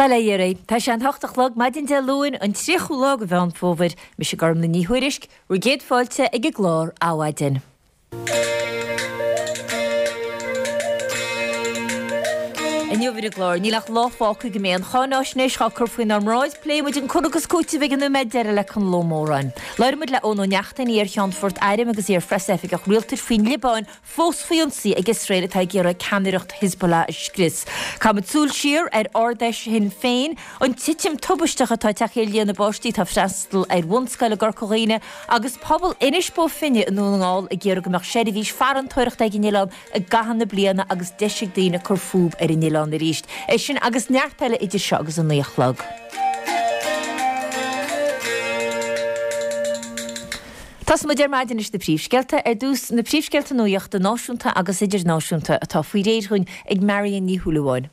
Bail ó Dhia oraibh. Tá sé an hocht a chlog, maidin Dé Luain, an 30ú lá de Mheán Fómhair. Mise Gormlaith Ní Thuairisg, bhur gcéad fáilte ag an gclár Adhmhaidin. Inniu ar an gclár, níl ach lá fágtha go mbeidh an cháináisnéis á cur faoinár mbráid, pléifidh muid an cur agus cúiteamh ag an nóiméad deiridh le Conall Ó Móráin. Labhróidh muid le Eoin Ó Neachtain, iar-Cheannfort Airm agus iar-phreasoifigeach rialtais faoin Liobáin fós faoi ionsaí ag Iosrael atá ag iarraidh ceannaireacht Hezbollah a scrios. Caithfimid súil siar ar Ard-Fheis Shinn Féin, an titim tubaisteach atá tagtha ar líon na bpáistí atá ag freastal ar bhunscoil i gCorca Dhuibhne agus pobal Inis Bó Finne i nDún na nGall ag iarraidh go mbeadh seirbhís farantóireachta ag an oileán i gcaitheamh na bliana agus deis ag daoine cur fúb ar an oileán arís. É sin agus neart eile idir seo agus a 9 a chlog. Tosóidh muid ar maidin leis na príomhscéalta. Ar dtús, na príomhscéalta nuachta náisiúnta agus idirnáisiúnta atá faoi réir dhúinn ag Marion Ní Shúilleabháin.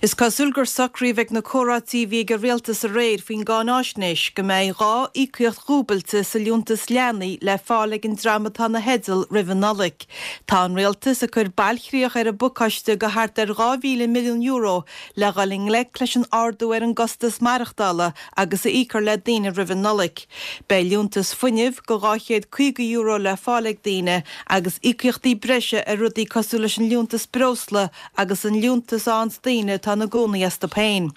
Is cosúil gur socraíodh ag na comhráití a bhí ag an rialtas aréir faoin gcáináisnéis go mbeidh 2 íocaíocht dhúbailte sa liúntas leanaí le fáil ag an dream atá ina theideal roimh an Nollaig. Tá an rialtas ag cur bailchríoch ar an bpacáiste de thart ar €2,000 milliún le dhul i ngleic leis an ardú ar an gcostas maireachtála agus a íocfar le daoine roimh an Nollaig. Beidh liúntas fuinnimh de €250 le fáil ag daoine agus íocaíochtaí breise ar rudaí cosúil leis an liúntas breosla agus an liúntas a fhaigheanns daoine atá ina gcónaí astu féin.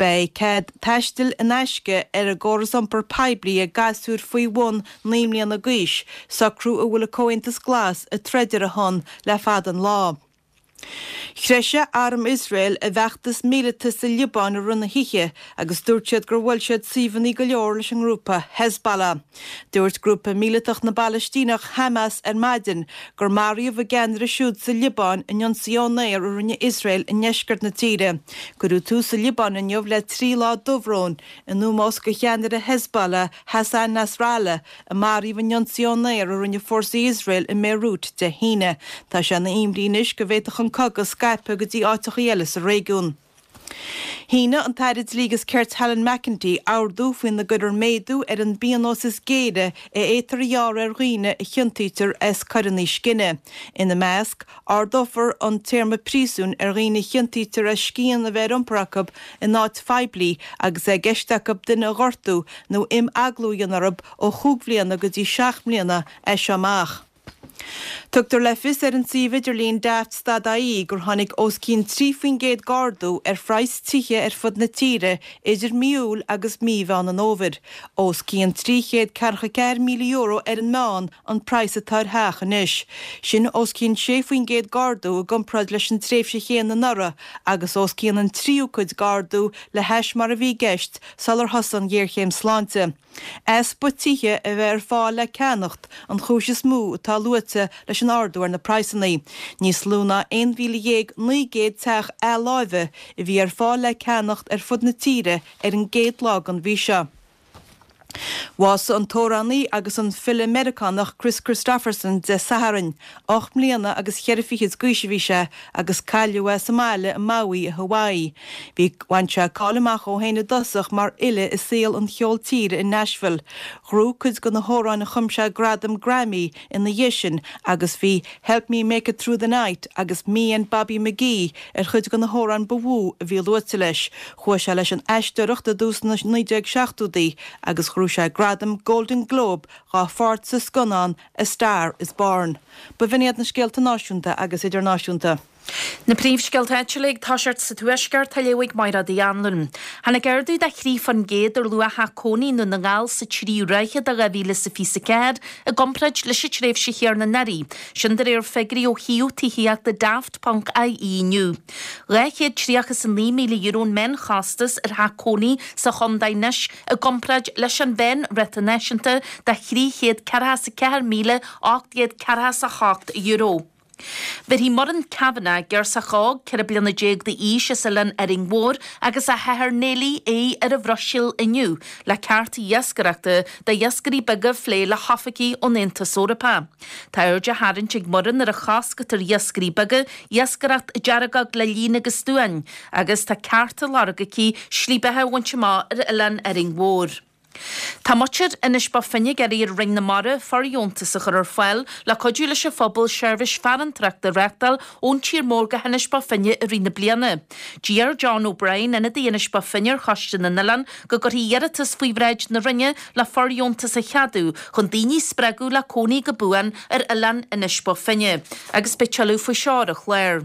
Beidh cead taistil in aisce ar an gcóras iompar poiblí ag gasúir faoi bhun 9 mbliana d'aois, socrú a bhfuil an Comhaontas Glas ag troid ar a shon le fada an lá. Threisigh arm Iosrael a bhfeachtas míleata sa Liobáin i rith na hoíche agus dúirt siad gur bhuail siad suíomhanna go leor leis an ngrúpa Hezbollah. Dúirt grúpa míleatach na bPalaistíneach Hamas ar maidin gur maraíodh a gceannaire siúd sa Liobáin in ionsaí ón aer a rinne Iosrael i ndeisceart na tíre. Cuireadh tús sa Liobáin inniu le 3 lá dobhróin in ómós do cheannaire Hezbollah Hassan Nasrallah a maraíodh in ionsaí ón aer a rinne fórsaí Iosrael i mBéiriút Dé hAoine. Tá sé ina imní anois go bhféadfadh an cogadh scaipeadh go dtí áiteachaí eile sa réigiún. Shínigh an tAire Dlí agus Cirt Helen McEntee ordú faoina gcuirfear méadú ar an bpionós is géire a fhéadtar a ghearradh ar dhaoine a chiontaítear as coireanna scine. Ina measc, Ardófar an téarma príosúin ar dhaoine a chiontaítear as scian a bheith ar iompar acu in áit phoiblí agus é i gceist acu duine a ghortú nó imeaglú a dhéanamh orthu ó chúig bhliana go dtí seacht mbliana as seo amach. Tugtar le fios ar an suíomh idirlín Daft.ie gur tháinig os cionn 3% d'ardú ar phraghas tithe ar fud na tíre idir mí Iúil agus mí Mheán an Fhómhair. Os cionn €344,000 ar an meán an praghas atá ar theach anois. Sin os cionn 6% d'ardú i gcomparáid leis an tréimhse chéanna anuraidh agus os cionn an tríú cuid d'ardú le hais mar a bhí i gceist sular thosaigh an ghéarchéim sláinte. Easpa tithe a bheith ar fáil le ceannacht an chúis is mó atá luaite leis an ardú ar na praghsanna. Níos lú ná 11,900 teach athláimhe a bhí ar fáil le ceannacht ar fud na tíre ar an gcéad lá den mhí seo. Bhásaigh an t-amhránaí agus an file Meiriceánach Kris Kristofferson Dé Sathairn. Ocht mbliana agus cheithre fichid d'aois a bhí sé agus cailleadh é sa mbaile i Maui i Hawaii. Bhí bhain sé cáil amach dhó féin i dtosach mar fhile i saol an cheoil tíre i Nashville. Ghnóthaigh cuid de na hamhráin a chum sé gradam Grammy ina dhiaidh sin agus bhí Help Me Make It Through the Night agus Me and Bobby McGee ar chuid de na hamhráin ba mhó a bhí luaite leis. Chuaigh sé leis an aisteoireacht i dtús na 1970idí agus ghnóthaigh sé gradam Golden Globe dhá pháirt sa scannán A Star Is Born. B'in iad na scéalta náisiúnta agus idirnáisiúnta. Na príomhscéalta áitiúla ag toiseacht sa Tuaisceart á léamh ag Mairéad Uí Anluain. Tháinig ardú de 3% ar luach theach cónaí i nDún na nGall sa tríú ráithe de 2024 i gcomparáid leis an tréimhse chéanna anuraidh. Sin de réir figiúirí ó shuíomh tithíochta Daft ponc IE inniu. €239,000 an meánchostas ar theach cónaí sa chontae anois i gcomparáid leis an mheánráta náisiúnta de €344,848. Bhéarfaidh Muireann Kavanagh, girseach óg 14 bliana d'aois as Oileán Árainn Mhór agus a hathair Neilí aghaidh ar an Bhruiséil inniu le cearta iascaireachta d'iascairí beaga a phlé le hoifigigh ón Aontas Eorpach. Tá aird á tharraingt ag Muireann ar an chosc atá ar iascairí beaga iascaireacht deargóg le líon agus stuáin agus tá ceart á lorg aici slí beatha a bhaint amach ar Oileán Árainn Mhór. Tá muintir Inis Bó Finne ag iarraidh ar Roinn na Mara fordheontas a chur ar fáil le cuidiú leis an phobal seirbhís farantóireachta a reáchtáil ón tír mór go hInis Bó Finne i rith na bliana. D'iarr John O'Brien, ionadaí Inis Bó Finne ar Choiste na nOileán, go gcuirfí iarratas faoi bhráid na Roinne le fordheontas a cheadú chun daoine a spreagadh le cónaí go buan ar oileán Inis Bó Finne. Agus beidh tuilleadh faoi seo ar an chlár.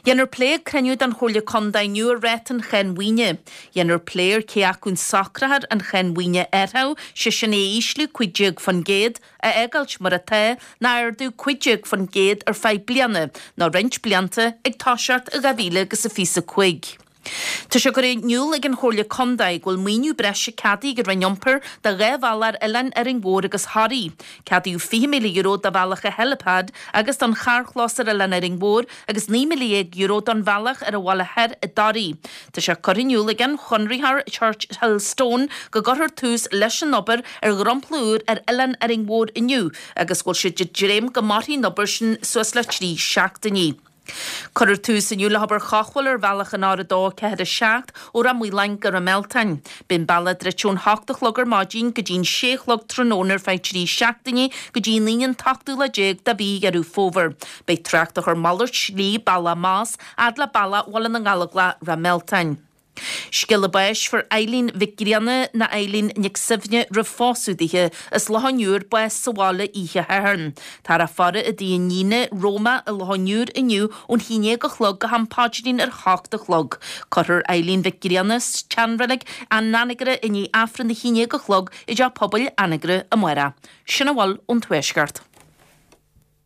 Dhéanfar plé ag cruinniú den Chomhairle Contae inniu ar ráta an cháin mhaoine. Dhéanfar plé ar cé acu an socrófar an cháin mhaoine athraitheach, sé sin é a ísliú 15%, a fhágáilt mar atá, nó a ardú 15% ar feadh bliana nó roinnt blianta ag toiseacht i 2025. Tá sé curtha in iúl ag an Chomhairle Contae go bhfuil maoiniú breise ceadaithe ag an Roinn Iompair do dhá bhealach ar oileáin Árainn Mhór agus Thoraí. Ceadaíodh €20,000 do bhealach an Helipad agus don charrchlós ar oileán Árainn Mhór agus €19,000 don bhealach ar an Bhaile Thoir i dToraí. Tá sé curtha in iúl ag an chonraitheoir Churchill Stone go gcuirfear tús leis an obair ar dhromchla úr ar oileán Árainn Mhór inniu agus go bhfuil siad ag dréim go mairfidh an obair sin suas le trí seachtainí. Cuirfear tús inniu le hobair chothabhála ar bhealach an R2 4 7 ó Ráth Maoláin go Ráth Mealtain. Beidh an bealach druidte ón hocht a chlog ar maidin go dtí an sé a chlog tráthnóna ar feadh 3 seachtainí go dtí an Aoine an t-ochtú lá déag de mhí Dheireadh Fómhair. Beidh trácht á chur malairt slí, bealach amach, fhad le bealach Bhaile na nGallóglach, Ráth Mealtain. Scéala báis, Fuair Eileen Mhic Grianna ná Eileen Nic Suibhne roimh phósadh dithe, as Loch an Iúir, bás sa bhaile oíche Shathairn. Táthar á faire i dtigh a iníne, Roma, i Loch an Iúir inniu ón haon déag a chlog go ham paidrín ar hocht a chlog. Cuirfear Eileen Mhic Grianna sa tseanreilig in Anagaire i ndiaidh Aifreann a haon déag a chlog i dTeach Pobail Anagaire amárach. Sin a bhfuil ón Tuaisceart.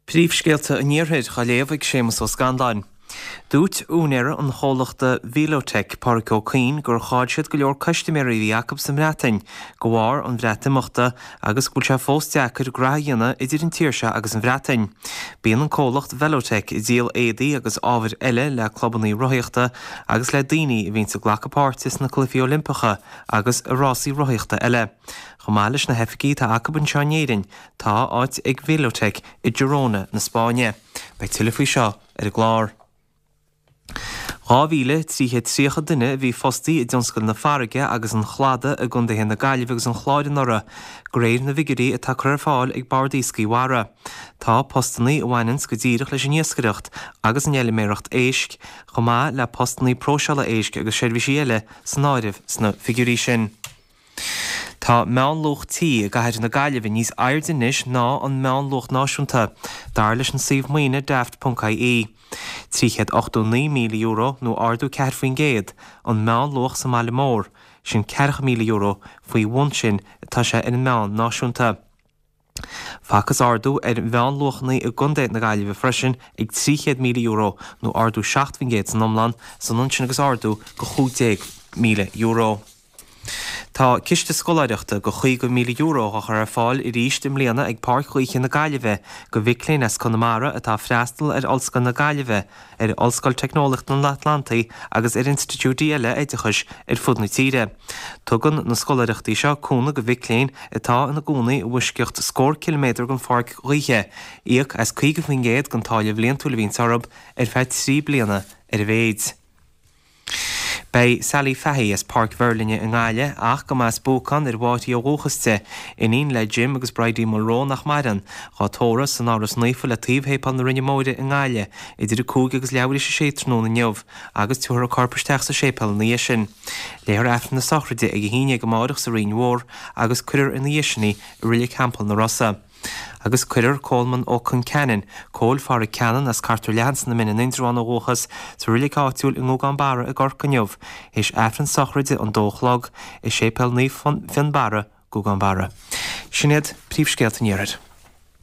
Príomhscéalta an Iarthair á léamh ag Séamus Ó Scanláin. Dúirt úinéir an chomhlachta Velotech, Pádraic Ó Cuinn, gur chaill siad go leor custaiméirí a bhí acu sa mBreatain de bharr an Bhreatimeachta agus go bhfuil sé fós deacair graithe a dhéanamh idir an tír seo agus an Bhreatain. Bíonn an comhlacht Velotech ag díol éadaí agus ábhair eile le clubannaí rothaíochta agus le daoine a bhíonns ag glacadh páirte sna Cluichí Oilimpeacha agus i rásaí rothaíochta eile. Chomh maith leis na hoifigí atá acu anseo in Éirinn, Tá áit ag Velotech i Girona na Spáinne. Beidh tuilleadh faoi seo ar an gclár. 2,330 duine a bhí fostaí i dtionscal na farraige agus an chladaigh i gcontaetha na Gaillimhe agus an Chláir anuraidh, de réir na bhfigiúirí atá curtha ar fáil ag Bord Iascaigh Mhara. Tá postannaí a bhaineanns go díreach leis an iascaireacht agus an fheilméaracht éisc, chomh maith le postannaí próiseála éisc agus seirbhísí eile san áireamh sna figiúirí sin. Tá meánluach tí i gcathair na Gaillimhe níos airde anois ná an meánluach náisiúnta, dar leis an suíomh maoine Daft ponc ie. €389,000, nó ardú 4%, an meánluach sa mbaile mór, sin €40,000 faoi bhun sin atá sé ar an meán náisiúnta. Facthas ardú ar mheánluachanna i gcontae na Gaillimhe freisin ag €300,000, nó ardú 7% san iomlán, is ionann sin agus ardú go €15,000. Tá ciste scoláireachta go €50,000 á chur ar fáil arís i mbliana ag Páirc Ghaoithe na Gaillimhe go mhic léinn as Conamara atá ag freastal ar Ollscoil na Gaillimhe, ar Ollscoil Teicneolaíochta an Atlantaigh agus ar institiúidí eile oideachais ar fud na tíre. Tugann na scoláireachtaí seo cúnamh go mhic léinn atá ina gcónaí i bhfoisceacht scór ciliméadar den pháirc ghaoithe, íoc as 50% den táille bhliantúil a bhíonns orthu ar feadh 3 bliana ar a mhéid. Beidh Sally Fahy as Páirc Mheirlinne i nGaillimh, ach go mba as Buacán ar Mháirí ó dhúchas di, iníon le Jim agus Bridie Mulroe nach maireann, dhá tórramh san Áras Naofa le taobh Shéipéal na Rinne Móire i nGaillimh idir 5 agus leathuair théis a sé tráthnóna inniu agus tabharfar a corp isteach sa séipéal ina dhiaidh sin. Léifear Aifreann na sochraide ag 11 amáireach sa Rinn Mhór agus cuirfear ina dhiaidh sin í i Reilig Theampall na Rosa. Agus cuirfear Coleman Ó Conceanainn, Cóil Phádraig Ceanainn as Cartar Leathan sna Mine in Indreabhán ó dhúchas, sa reilig áitiúil i nGúgán Barra i gCorcaigh inniu, théis Aifreann sochraide an dó a chlog, i Séipéal Naomh Fionnbarra, Gúgán Barra. Sin iad príomhscéalta an Iarthair.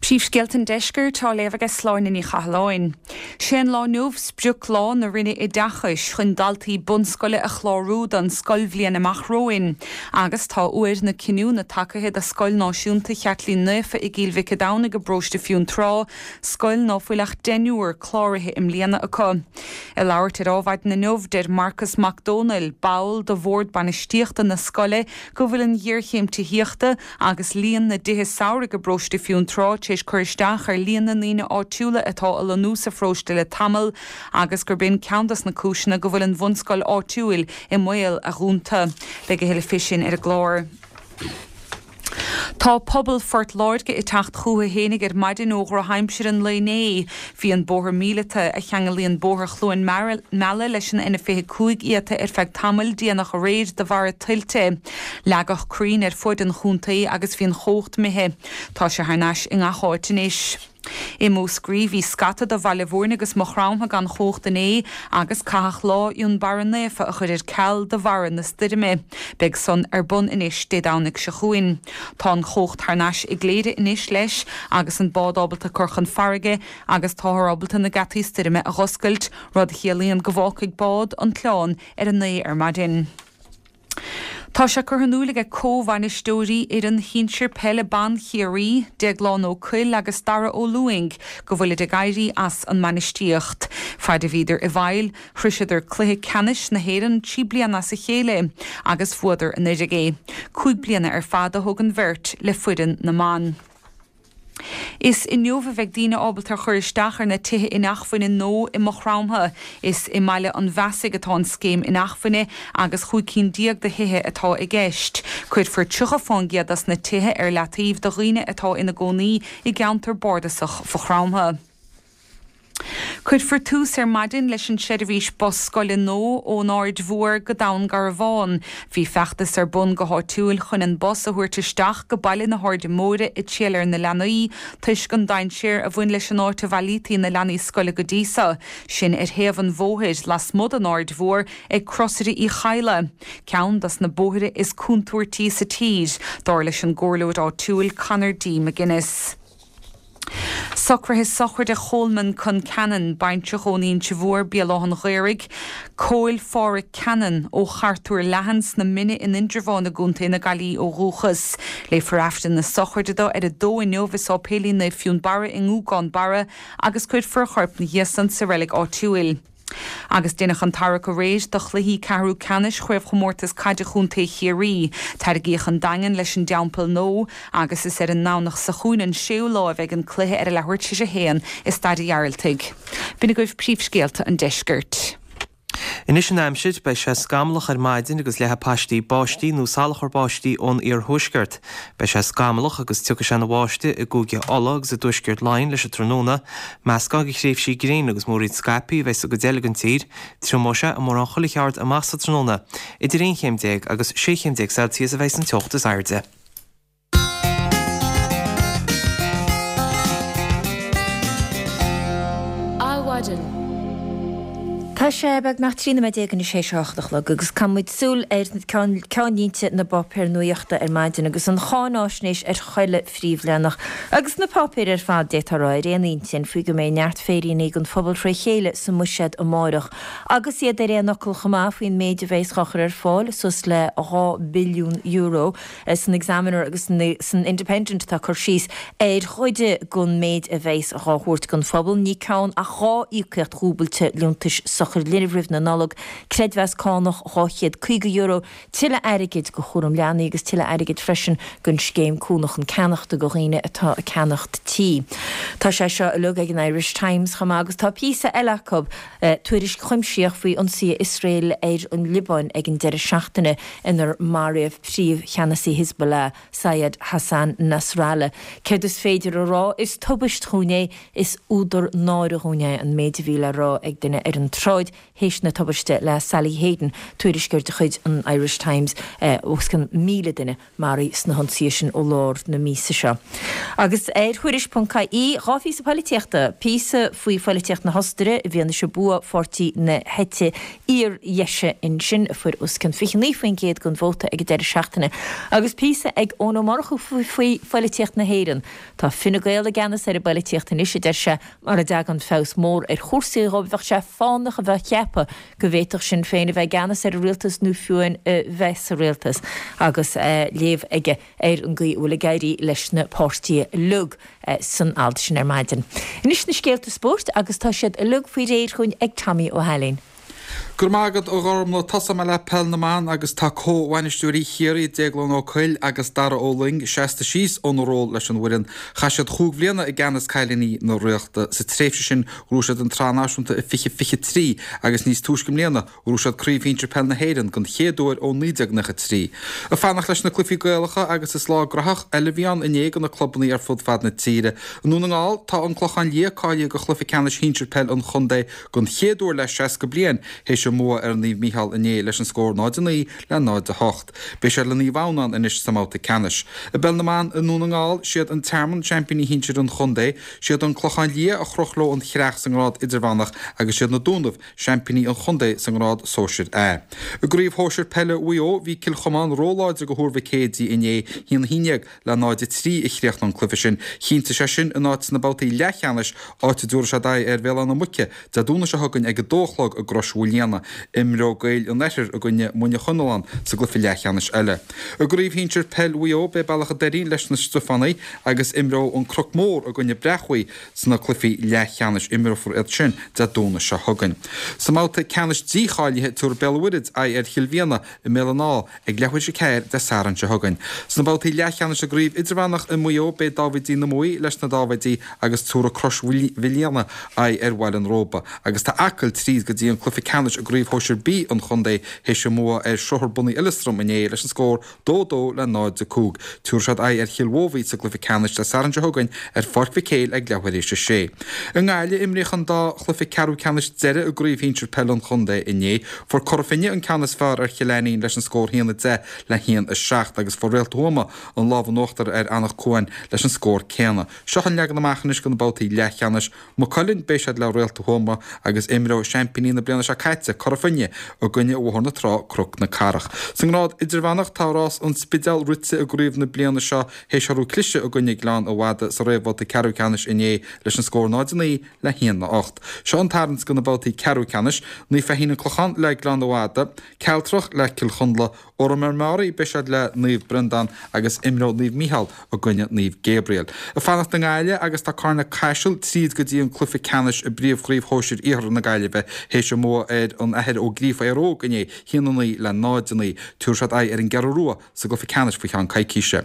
Príomhscéalta an Deiscirt á léamh aige Sláine Ní Chathalláin. Sé an lá inniu sprioclá na Roinne Oideachais chun daltaí bunscoile a chlárú don scoilbhliain amach romhainn agus tá uair na cinniúna tagaithe do Scoil Náisiúnta Chaitlín Naofa i gCill Mhic a' Domhnaigh i bparóiste Fionntrá, scoil ná fuil ach deichniúr cláraithe i mbliana acu. Ag labhairt ar Adhmhaidin inniu, deir Marcas Mac Dónaill, ball de bhord bainistíochta na scoile, go bhfuil an ghéarchéim tithíochta agus líon na dtithe samhraidh i bparóiste Fionntrá tar éis cur isteach ar líon na ndaoine áitiúla atá a lonnú sa pharóiste le tamall agus gurb in ceann dos na cúiseanna go bhfuil an bhunscoil áitiúil i mbaol a dhúnta. Beidh a thuilleadh fé sin ar an gclár. Tá pobal Phort Láirge ag teacht chucu fhéinig ar maidin ó dhrochaimsir an lae inné. Bhí an bóthar míleata, a cheanglaíonn Bóthar Chluain Meala leis an N25 iata ar feadh tamaill déanach aréir de bharra tuilte. Leagadh crainn ar fuaid an chontae agus bhí an chumhacht imithe. Tá sé thar n-ais i ngach áit anois. I Múscraí bhí scata de Bhaile Mhúirne agus Maigh Chromtha gan chumhacht inné agus caitheadh Lá Fhionnbarra Naofa a chur ar ceal de bharra na stoirme. Beidh san ar bun anois Dé Domhnaigh seo chugainn. Tá an chumhacht thar n-ais i gCléire anois leis agus an bád ábalta cur chun farraige agus táthar ábalta na geataí stoirme a dh'oscailt, rud a chiallaíonn go bhfágfaidh bád an t-oileán ar a 9 ar maidin. Tá sé curtha in iúil aige comh-bhainisteoirí fhoireann shinsir peile ban Chiarraí, Déaglán Ó Cuill agus Dara Ó Lúing, go bhfuilid ag éirí as an mbainistíocht. Faid a bhíodar i bhfeighil, shroiseadar cluiche ceannais na hÉireann 3 bliana as a chéile agus bhuadar anuraidh é. 5 bliana ar fad a thóg an bheirt le foireann na mban. Is inniu a bheidh daoine ábalta cur isteach ar na tithe inacmhainne nua i Maigh Chromtha. Is i mBaile an Bheasaigh atá an scéim inacmhainne agus 15 cinn de thithe atá i gceist. Cuirfear 30 fán gcéad dos na tithe ar leataobh do dhaoine atá ina gcónaí i gceantar bardasach Mhaigh Chromtha. Cuirfear tús ar maidin leis an seirbhís bus scoile nua ón Aird Mhór go Dún Garbhán. Bhí feachtas ar bun go háitiúil chun an bus a thabhairt isteach go baile na hAirde Móire ag triall ar na leanaí toisc an dainséar a bhain leis an áit a bhailítí na leanaí scoile go dtí so, sin ar thaobh an bhóthair lasmuigh den Aird Mhór ag Crosaire Uí Chadhla, ceann dos na bóithre is contúirtí sa tír, dar leis an gcomhairleoir áitiúil Conor D. McGuinness. Socruithe sochraide Cholman Concannon, baintreach ón Inse Mhór, Béal Átha'n Ghaorthaidh, Cóil Pháraic Cannon, ó Chartúr Leathan sna Mine in Indreabhán i gContae na Gaillimhe ó dhúchas. Léifear Aifreann na sochraide dó ar a dó inniu i Sáipéilín Naomh Fionnbarra i nGúgán Barra agus cuirfear a chorp 'na dhiaidh san sa reilig áitiúil. Agus deineadh an tarrac aréir do chluichí ceathrú ceannais Chraobhchomórtas Caide Chontae Chiarraí. Tarraingíodh an Daingean leis an dTeampall Nua agus is ar an nDomhnach seo chugainn an séú lá a bheidh an cluiche ar a leathuair tar éis a haon i Staid a' Ghearaltaigh. B'in agaibh príomhscéalta an deiscirt. Anois an aimsir, beidh sé scamallach ar maidin agus leathfaidh paistí báistí nó salachar báistí ón iarthuaisceart. Beidh sé scamallach agus tiocfaidh sé ina bháisteach i gCúige Uladh agus i dtuaisceart Laighean leis an tráthnóna. Meascán de thréimhsí gréine agus múraíl scaipthe a bheidh sa gcuid eile den tír. Triomóidh sé i mórán chuile cheard amach sa tráthnóna. Idir 11 chéim agus 16 chéim Celsius a bheidh san teocht is airde. Adhmhaidin. Tá sé beagnach 13 nóiméad anois théis a hocht a chlog agus caithfidh muid súil ar ceannlínte na bpáipéar nuachta ar maidin agus an cháináisnéis ar chuile phríomhleathanach agus na páipéir ar fad, d'fhéadfá a rá, ar aon intinn faoi go mbeidh neart féiríní don phobal fré chéile sa mbuiséad amárach agus iad ar aon fhocal chomh maith faoin méid a bheas á chur ar fáil, suas le €2 billiún. San Examiner agus san Independent tá cur síos ar chuid den méid a bheas dhá thabhairt don phobal. Ní ceann ach 2 íocaíocht dhúbailte liúntais sochair linbh roimh na Nollag, creidmheas cánach €250, tuilleadh airgid do chúram leanaí agus tuilleadh airgid freisin don scéim Cúnamh chun Ceannachta do dhaoine atá ag ceannacht tí. Tá sé seo uilig ag an Irish Times chomh maith agus tá píosa eile acu, tuairisc chuimsitheach faoi ionsaithe Iosrael ar an Liobáin ag an deireadh seachtaine inar maraíodh príomhcheannasaí Hizbollah, Sayyed Hassan Nasrallah. Céard is féidir a rá? Is tubaist dhúinn é, is údar náire dhúinn é, an méid a bhí le rá ag duine ar an tsráid théis na tubaiste le Sally Hayden, tuairisceoir de chuid an Irish Times, os cionn 1,000 duine. maraithe sna hionsaithe sin ó lár na míosa seo. Agus ar Thuairisc.ie, 2 phíosa poilitíochta, píosa faoi phoilitíocht na hOstaire i bhfianaise bua pháirtí na heite fhíordheise ansin, a fuair os cionn 29% den vóta ag an deireadh seachtaine, agus píosa ag Eoin Ó Murchú faoi phoilitíocht na hÉireann. Tá Fine Gael i gceannas ar an bpoilitíocht anois, a deir sé, mura dtagann feabhas mór ar chúrsaí dhóibh, bheadh sé fánach a bheith ag ceapadh go bhféadfadh Sinn Féin a bheith i gceannas ar an rialtas nó fiú amháin a bheith sa rialtas agus léamh aige ar an gcaoi a bhfuil ag éirí leis na páirtithe uilig san alt sin ar maidin. Anois na scéalta spóirt agus tá siad uilig faoi réir chugainn ag Tommy Ó hAilín. Go raibh maith agat, a Ghormlaith. Tosóidh mé le Peil na mBan agus tá comh-bhainisteoirí Chiarraí, Déaglán Ó Cuill agus Dara Ó Luing, seasta síos óna ról leis an bhfoireann. Chaith siad chúig bhliana i gceannas cailíní na Ríochta. Sa tréimhse sin, ghnóthaigh siad an tSraith Náisiúnta i 2023 agus níos túisce i mbliana, ghnóthaigh siad Craobh Shinsir Peil na hÉireann den chéad uair ó 1993. Ag fanacht leis na cluichí Gaelacha agus is lá graitheach eile a bhí ann inné do na clubanna ar fud fad na tíre. I nDún na nGall, tá An Clochán Liath cáilithe do chluiche ceannais shinsir peil an chontae don chéad uair le 60 bliain théis a mbua ar Naomh Mícheál inné leis an scór 0-9 le 0-8. Beidh siad le Naomh Adhamhnáin anois sa mbabhta ceannais. I bPeil na mBan i nDún na nGall, siad An Tearmann seaimpíní shinsir an chontae, siad An Clochán Liath a chroch leo an chreach sa ngrád idirmheánach agus siad Na Dúnaibh seaimpíní an chontae sa ngrád sóisir A. I gCraobh Shóisir Peile Mhaigh Eo, bhí Cill Chomáin róláidir do Thuar Mhic Éadaigh inné, 1-11 le 0-3 a chríochnaigh an cluiche sin. Chinntigh sé sin a n-áit sna babhtaí leathcheannais, áit a dtabharfaidh siad aghaidh ar Bhéal Átha na Muice Dé Domhnaigh seo chugainn ag 2 a chlog i gCrois Mhaoilíona. Imreoidh Gaeil an Oirthir i gcoinne Muine Chonalláin sa gcluiche leathcheannais eile. I gCraobh Shinsir Peil Mhaigh Eo, beidh Bealach an Doirín leis na Stiofánaigh agus imreoidh An Cnoc Mór i gcoinne Breac Bhuí sna cluichí leathcheannais. Imreofar iad sin Dé Domhnaigh seo chugainn. Sa mbabhta ceannais dícháilithe, tabharfaidh Béal an Mhuirthead aghaidh ar Chill Mhianna i mBéal an Átha ag leathuair tar éis a 4 Dé Sathairn seo chugainn. Sna babhtaí leathcheannais i gcraobh idirmheánach i Maigh Eo beidh Dáibhidí na Muaidhe leis na Dáibhidí agus tabharfaidh Crois Mhaoilíona aghaidh ar Bhaile an Róba agus tá Acaill tríd go dtí an cluiche ceannais i gcraobh shóisir B an chontae théis a mbua ar Shruthar Bunaidh Eileastram inné leis an scór 2, 2 le 0, 5. Tabharfaidh siad aghaidh ar Chill Mhóbhaí sa gcluiche ceannais Dé Sathairn seo chugainn ar Pháirc Mhic Éil ag leathuair tar éis a sé. I nGaillimh, imríodh an dá chluiche ceathrú ceannais deiridh i gcraobh shinsir peile an chontae inné. Fuair Cora Finne an ceann is fearr ar Chill Ainnín leis an scór 1-10 le 1-7 agus fuair Réalta Thuama an lámh in uachtar ar Anach Cuain leis an scór céanna. Seo an leagan amach anois do na babhtaí leathcheannais. Maigh Cuilinn, beidh siad le Réalta Thuama agus imreoidh seaimpíní na bliana seo caite, Cora Finne, i gcoinne Bhóthar na Trá, Cnoc na Cathrach. Sa ngrád idirmheánach, tá rás an Spidéil rite i gcraobh na bliana seo théis orthu cliseadh i gcoinne Gleann an Fhada sa réamhbhabhta ceathrú ceannais inné leis an scór 0-9 le 1-8. Seo an tarraingt do na babhtaí ceathrú ceannais, Naomh Feichín An Clochán le Gleann an Fhada, Cealtrach le Cill Chonla, Órán Mór Meáraí, beidh siad le Naomh Breandán agus imreoidh Naomh Mícheál i gcoinne Naomh Gabriel. Ag fanacht i nGaillimh agus tá Carna Caiseal tríd go dtí an cluiche ceannais i bPríomh-Chraobh Shóisir Iarthar na Gaillimhe théis a mbua ar an Athair Ó Gríofa Éire Óg inné, 1-9 le 0-9. Tabharfaidh siad aghaidh ar an gCeathrú Rua sa gcluiche ceannais faoi cheann coicíse.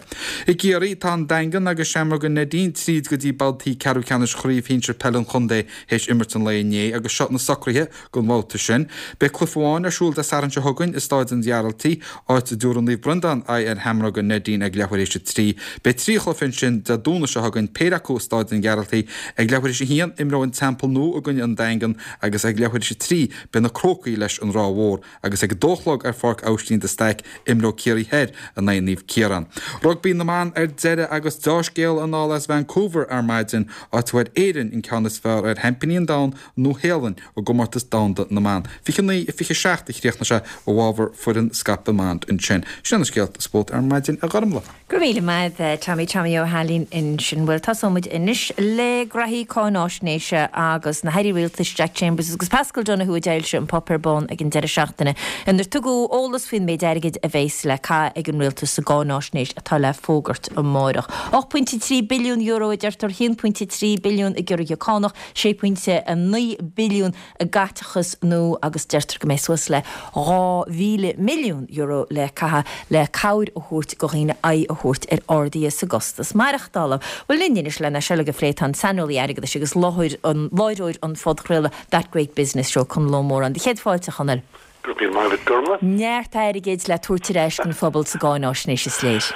I gCiarraí, tá an Daingean agus Seamróga Neidín tríd go dtí babhtaí ceathrú ceannais Chraobh Shinsir Peile an Chontae théis imirt an lae inné agus seo na socruithe don bhabhta sin. Beidh cluiche amháin ar siúl Dé Sathairn seo chugainn i Stáid an Ghearaltaigh, áit a dtabharfaidh Naomh Breandán aghaidh ar Sheamróga Neidín ag leathuair théis a 3. Beidh 3 chluiche ansin Dé Domhnaigh seo chugainn, péire acu i Stáid an Ghearaltaigh. Ag leathuair théis a 1, imreoidh an Teampall Nua i gcoinne an Daingean agus ag leathuair théis a 3 beidh na Crócaigh leis an Ráth Mhór agus ag a dó a chlog ar Pháirc Aibhistín de Staic imreoidh Ciarraí Thoir in aghaidh Naomh Ciarán. Rugbaí na mban ar deireadh agus deá-scéala anall as Vancouver ar maidin, áit a bhfuair Éirinn an ceann is fearr ar sheaimpíní an domhain, Nua-Shéalainn, i gcomórtas domhanda na mban. 29-27 a chríochnaigh sé i bhfabhar foireann Scaipthe ansin. Sin na scéalta spóirt ar maidin, a Ghormlaith. Go raibh míle maith agat, Tommy, Tommy Ó hAilín ansin. Bhuel, tosóidh muid anois le graithí cáináisnéise agus na hairí rialtais Jack Chambers agus Paschal Donohoe a d'fhoilsigh an Páipéar Bán ag an deireadh seachtaine inar tugadh eolas faoin méid airgid a bheas le caitheamh ag an rialtas sa gcáináisnéis atá le fógairt amárach. €8.3 billiún a deirtear, 1.3 billiún i gciorruithe cánach, 6.9 billiún i gcaiteachas nua agus deirtear go mbeidh suas le €2,000 milliún le caitheamh le cabhair a thabhairt do dhaoine aghaidh a thabhairt ar arduithe sa gcostas maireachtála. Bhuel linn anois lena seo uilig a phlé tá an saineolaí airgeadais agus láithreoir an phodchraoladh That Great Business Show, Conall Ó Móráin. Do chéad fáilte, a Chonaill. Go raibh míle maith agat, Gormlaith. Neart airgid le tabhairt ar ais don phobal sa gcáináisnéis, is léir.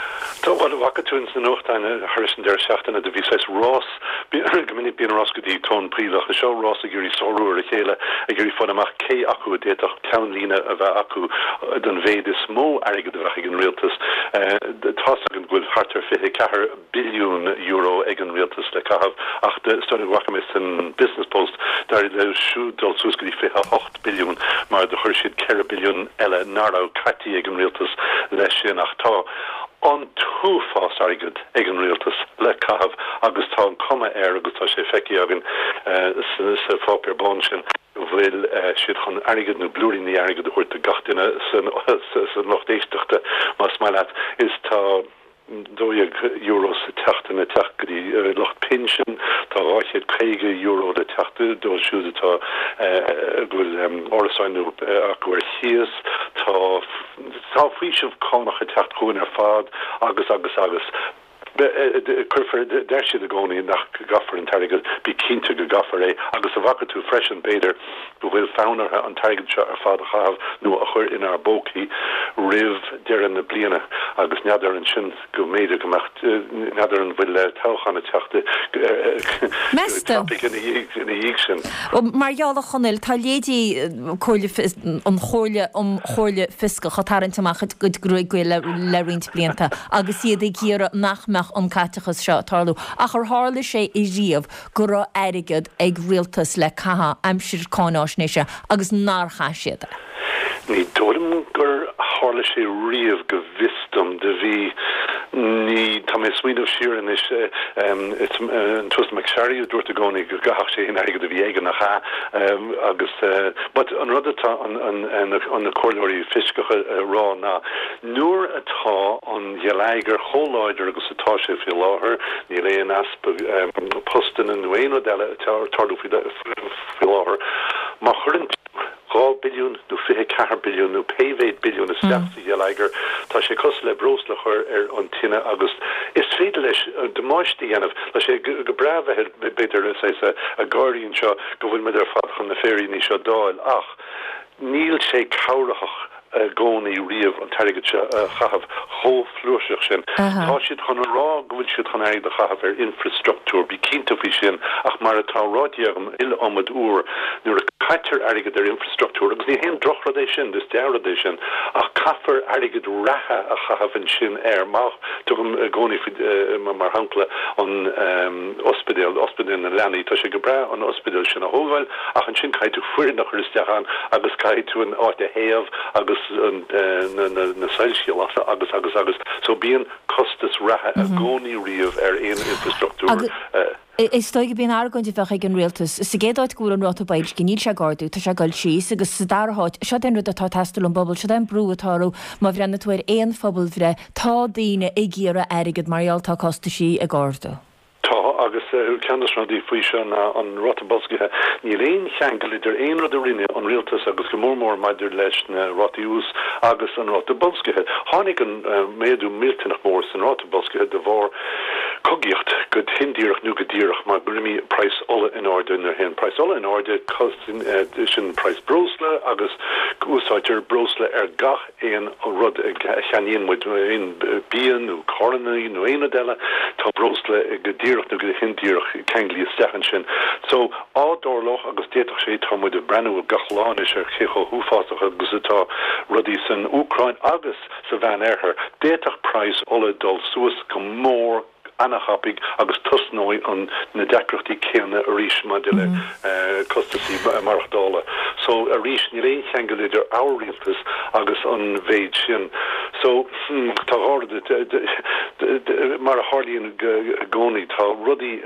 Tá, bhuel, bhfaca tú ins na nuachtáin thar éis an deireadh seachtaine, do bhí saghas rás, go minic bíonn rás go dtí tóin poill ach seo rás ag iarraidh sárú ar a chéile, ag iarraidh fáil amach cé acu a d'fhéadfadh ceannlíne a bheith acu don mhéid is mó airgead a bheadh ag an rialtas. Tá's againn go bhfuil thart ar 24 billiún euro ag an rialtas le caitheamh ach is dóigh liom go bhfaca mé san Business Post, d'éirigh leo siúd dul suas go dtí 28 billiún mar do chuir siad 4 billiún eile nach raibh caití ag an rialtas leis sin ach tá an t-uafás airgead ag an rialtas le caitheamh agus tá an cuma air agus tá sé feicthe againn sa pháipéar bán sin go bhfuil siad chun airgead nó blúiríní airgid a thabhairt do gach duine sa lucht éisteachta más maith leat is tá €12 sa tseachtain ag teacht go dtí lucht pinsin. Tá €250 le teacht dóibh siúd atá go bhfuil árasáin nó acu ar chíos. Tá tá faoiseamh cánach ag teacht chugainn ar fad agus agus agus. Cuirfear, deir siad i gcónaí nach gcaithfear an t-airgead, bí cinnte go gcaithfear é agus an bhfaca tú freisin, b'fhéidir, go bhfuil fonn orthu an t-airgead seo ar fad a chaitheamh nó a chur inár bpócaí roimh deireadh na bliana agus n'fheadar ansin go mb'fhéidir go mbeadh, n'fheadar an bhfuil toghchán ag teacht go tapaidh ina dhiaidh sin. Mar gheall a Chonaill, tá leithéidí an Chomhairle um Chomhairle Fioscach ag tarraingt amach a gcuid gruaige le roinnt blianta agus iad ag iarraidh nach mbeadh an caiteachas seo ag tarlú. Ach ar tharla sé ariamh go raibh airgead ag rialtas le caitheamh aimsir cáináisnéise agus nár chaith siad é? Ní dóigh liom gur tharla sé riamh go bhfios dom. Do bhí, ní, tá mé ag smaoineamh siar anois, is an tUasal MacSharry a dúirt i gcónaí go gcaithfeadh sé aon airgead a bhí aige, nach ea? Agus, but an rud atá an, an, na comhairleoirí fioscacha a rá ná Nuair atá an gheilleagar chomh láidir agus atá sé faoi láthair, níl aon easpa postanna nó aon rud eile ag tarlú faoi láthair. Má chuireann tú 2 billiún nó 24 billiún nó pé mhéid billiún isteach sa gheilleagar, tá sé cosúil le breosla a chur ar an tine agus is féidir leis damáiste a dhéanamh. Tá sé go breá bheith b'fhéidir saghas ag gáirí anseo go bhfuil muid ar fad chun na féiríní seo d'fháil ach níl sé cabhraitheach i gcónaí riamh an t-airgead seo a chaitheamh chomh flúirseach sin. Tá siad chun a rá go bhfuil siad chun airgead a chaitheamh ar infreastruchtúr, bí cinnte faoi sin, ach mar atá ráite agam iliomad uair, nuair a caitear airgead ar infreastruchtúr, agus ní haon drochrud é sin, is dea-rud é sin, ach caithfear airgead reatha a chaitheamh ansin air. Má, tugaim i gcónaí faoi, mar shampla, an ospidéal, ospidéal na leanaí, tá sé go breá an ospidéal sin a thógáil, Ach ansin caithfidh tú foireann a chur isteach ann agus caithfidh tú an áit a théamh agus na soilsí a lasadh agus agus agus. So bíonn costas reatha i gcónaí riamh ar aon infreastruchtúr. Is dóigh gurb í an argóint a bheadh ag an rialtas, sa gcéad áit go bhfuil an ráta boilscithe, níl sé ag ardú, tá sé ag dul síos, agus sa dara háit, seo é an rud atá ag teastáil ón bpobal, seo é an brú atá orthu, má bhreathnaíonn tú ar aon phobalbhreith, tá daoine ag iarraidh airgead mar gheall tá costaisí ag ardú. Tá, agus ceann de na rudaí faoi seo ná an ráta boilscithe. Níl aon cheangal idir aon rud a rinne an rialtas agus go mór mór maidir leis na rátaí úis agus an ráta boilscithe. Tháinig an méadú millteanach mór san ráta boilscithe de bharr cogaíocht go hindíreach nó go díreach mar gur imigh praghas ola in airde. Nuair a théann praghas ola in airde sin praghas breosla agus úsáidtear breosla ar gach aon rud a cheannaíonn muid, aon bia nó carranna nó aon rud eile, tá breosla go díreach nó go hindíreach ceanglaithe isteach ansin. So, á dtarlódh, agus d'fhéadfadh sé, tá muid ag breathnú gach lá anois ar cé chomh huafásach agus atá rudaí san Úcráin agus sa Mheán-Oirthear, d'fhéadfadh praghas ola dul suas go mór ana-thapaidh agus tosnóidh an na deacrachtaí céanna arís maidir le costasaí maireachtála. So arís níl aon cheangal idir ár rialtas agus an mhéid sin. So hmm tá dhá rud mar a tharlaíonn i gcónaí tá rudaí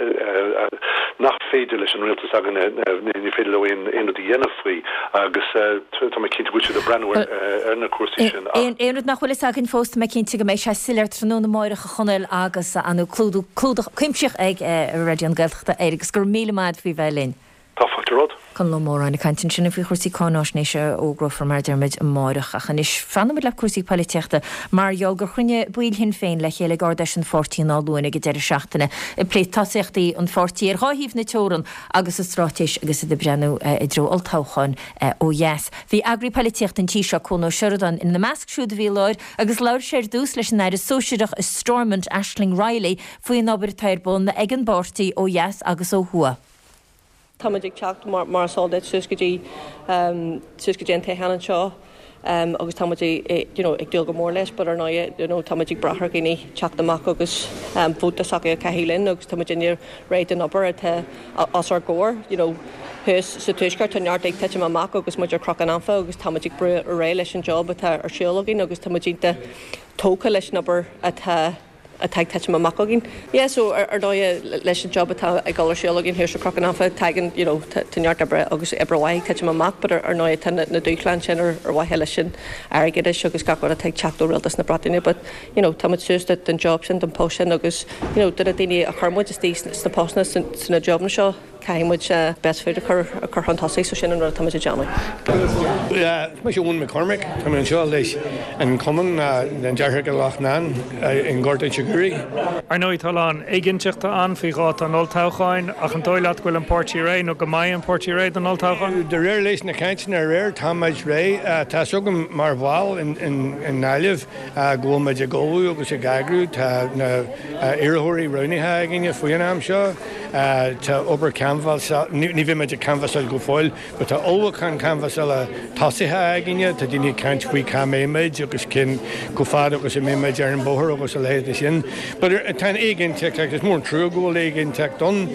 nach féidir leis an rialtas againne ní féidir leo aon rud a dhéanamh faoi agus tá mé cinnte go bhfuil siad ag breathnú ar na cúrsaí sin ach. Aon rud nach bhfuil fhios againn fós tá mé cinnte go mbeidh sé soiléir tráthnóna amáireach a Chonaill agus an clúdach clúdach cuimsitheach ag Raidió na Gaeltachta air agus go raibh míle maith agat faoi bheith linn. Tá fáilte romhat. Conall Ó Móráin ag caint ansin faoi chúrsaí cáináisnéise a fhógrófar mar a deir muid amáireach. Ach anois fanfaidh muid le cúrsaí poilitíochta mar gheall gur chruinnigh baill Shinn Féin le chéile ag Ard-Fheis an pháirtí in Áth Luain ag an deireadh seachtaine ag plé tosaíochtaí an pháirtí ar dhá thaobh na teorann agus a straitéis agus iad ag breathnú i dtreo olltoghcháin ó dheas. Bhí eagraí poilitíochta an tí seo, Cuan Ó Seireadáin, ina measc siúd a bhí i láthair Agus labhair sé ar dtús leis an Aire Sóisearach i Stormont, Aisling Reilly, faoin obair atá ar bun ag an bpáirtí ó dheas agus ó thuaidh. Tá muid ag teacht, mar is eol duit, suas go dtí suas go dtí an toghchán anseo agus tá muid you know ag dúil go mór leis but ar ndóigh you know tá muid ag brath ar dhaoine teacht amach agus vóta s'acu a chaitheamh linn agus tá muidinne réidh don obair atá os ár gcomhair you know thuas sa tuaisceart tá neart ag titim amach agus muid ar chnoc an anfa agus tá muid ag brú ar aghaidh leis an job atá ar siúl againn agus tá muid iontach tógtha leis an obair atá. atá ag titim amach againn. Yeah so ar ndóighe leis an job atá ag dul ar siúl againn thiar sa Chnoc an Anfa tagann you know tá neart oibre agus oibre mhaith ag titim amach but ar ndóighe tá na dúshláin sin ar mhaithe leis an airgeadais agus gach rud atá ag teacht ó Rialtas na Breataine but you know tá muid suas don job sin don post sin agus you know do na daoine a chuir muid istigh sna postanna sna jobanna seo. Caithfidh muid best foot a chur a chur chun tosaigh so sin an rud atá muid ag déanamh. Is mise Eoin McCormack, tá mé anseo leis an Cumann na nDeartháireacha Loughnane i nGort Inse Guaire. Ar ndóigh tá a lán éiginnteachta ann faoi dháta an olltoghcháin ach an dóigh leat go bhfuil an páirtí réidh nó go mbeidh an páirtí réidh don olltoghchán? De réir leis na cainteanna aréir táimid réidh. Tá 'fhios agam mar bhall i nGaillimh go bhfuil muid ag ullmhú agus ag eagrú. Tá na iarrthóirí roghnaithe againne faoin am seo. Tá obair canbhasála, ní bheidh muid ag canbhasáil go fóill, but tá ullmhúchán canbhasála tosaithe againne. Tá daoine ag caint faoi cá mbeidh muid agus cén chomh fada agus a mbeidh muid ar an bhóthar agus a leithéid de sin. But tá an éiginnteacht agus is mór an trua go bhfuil éiginnteacht ann.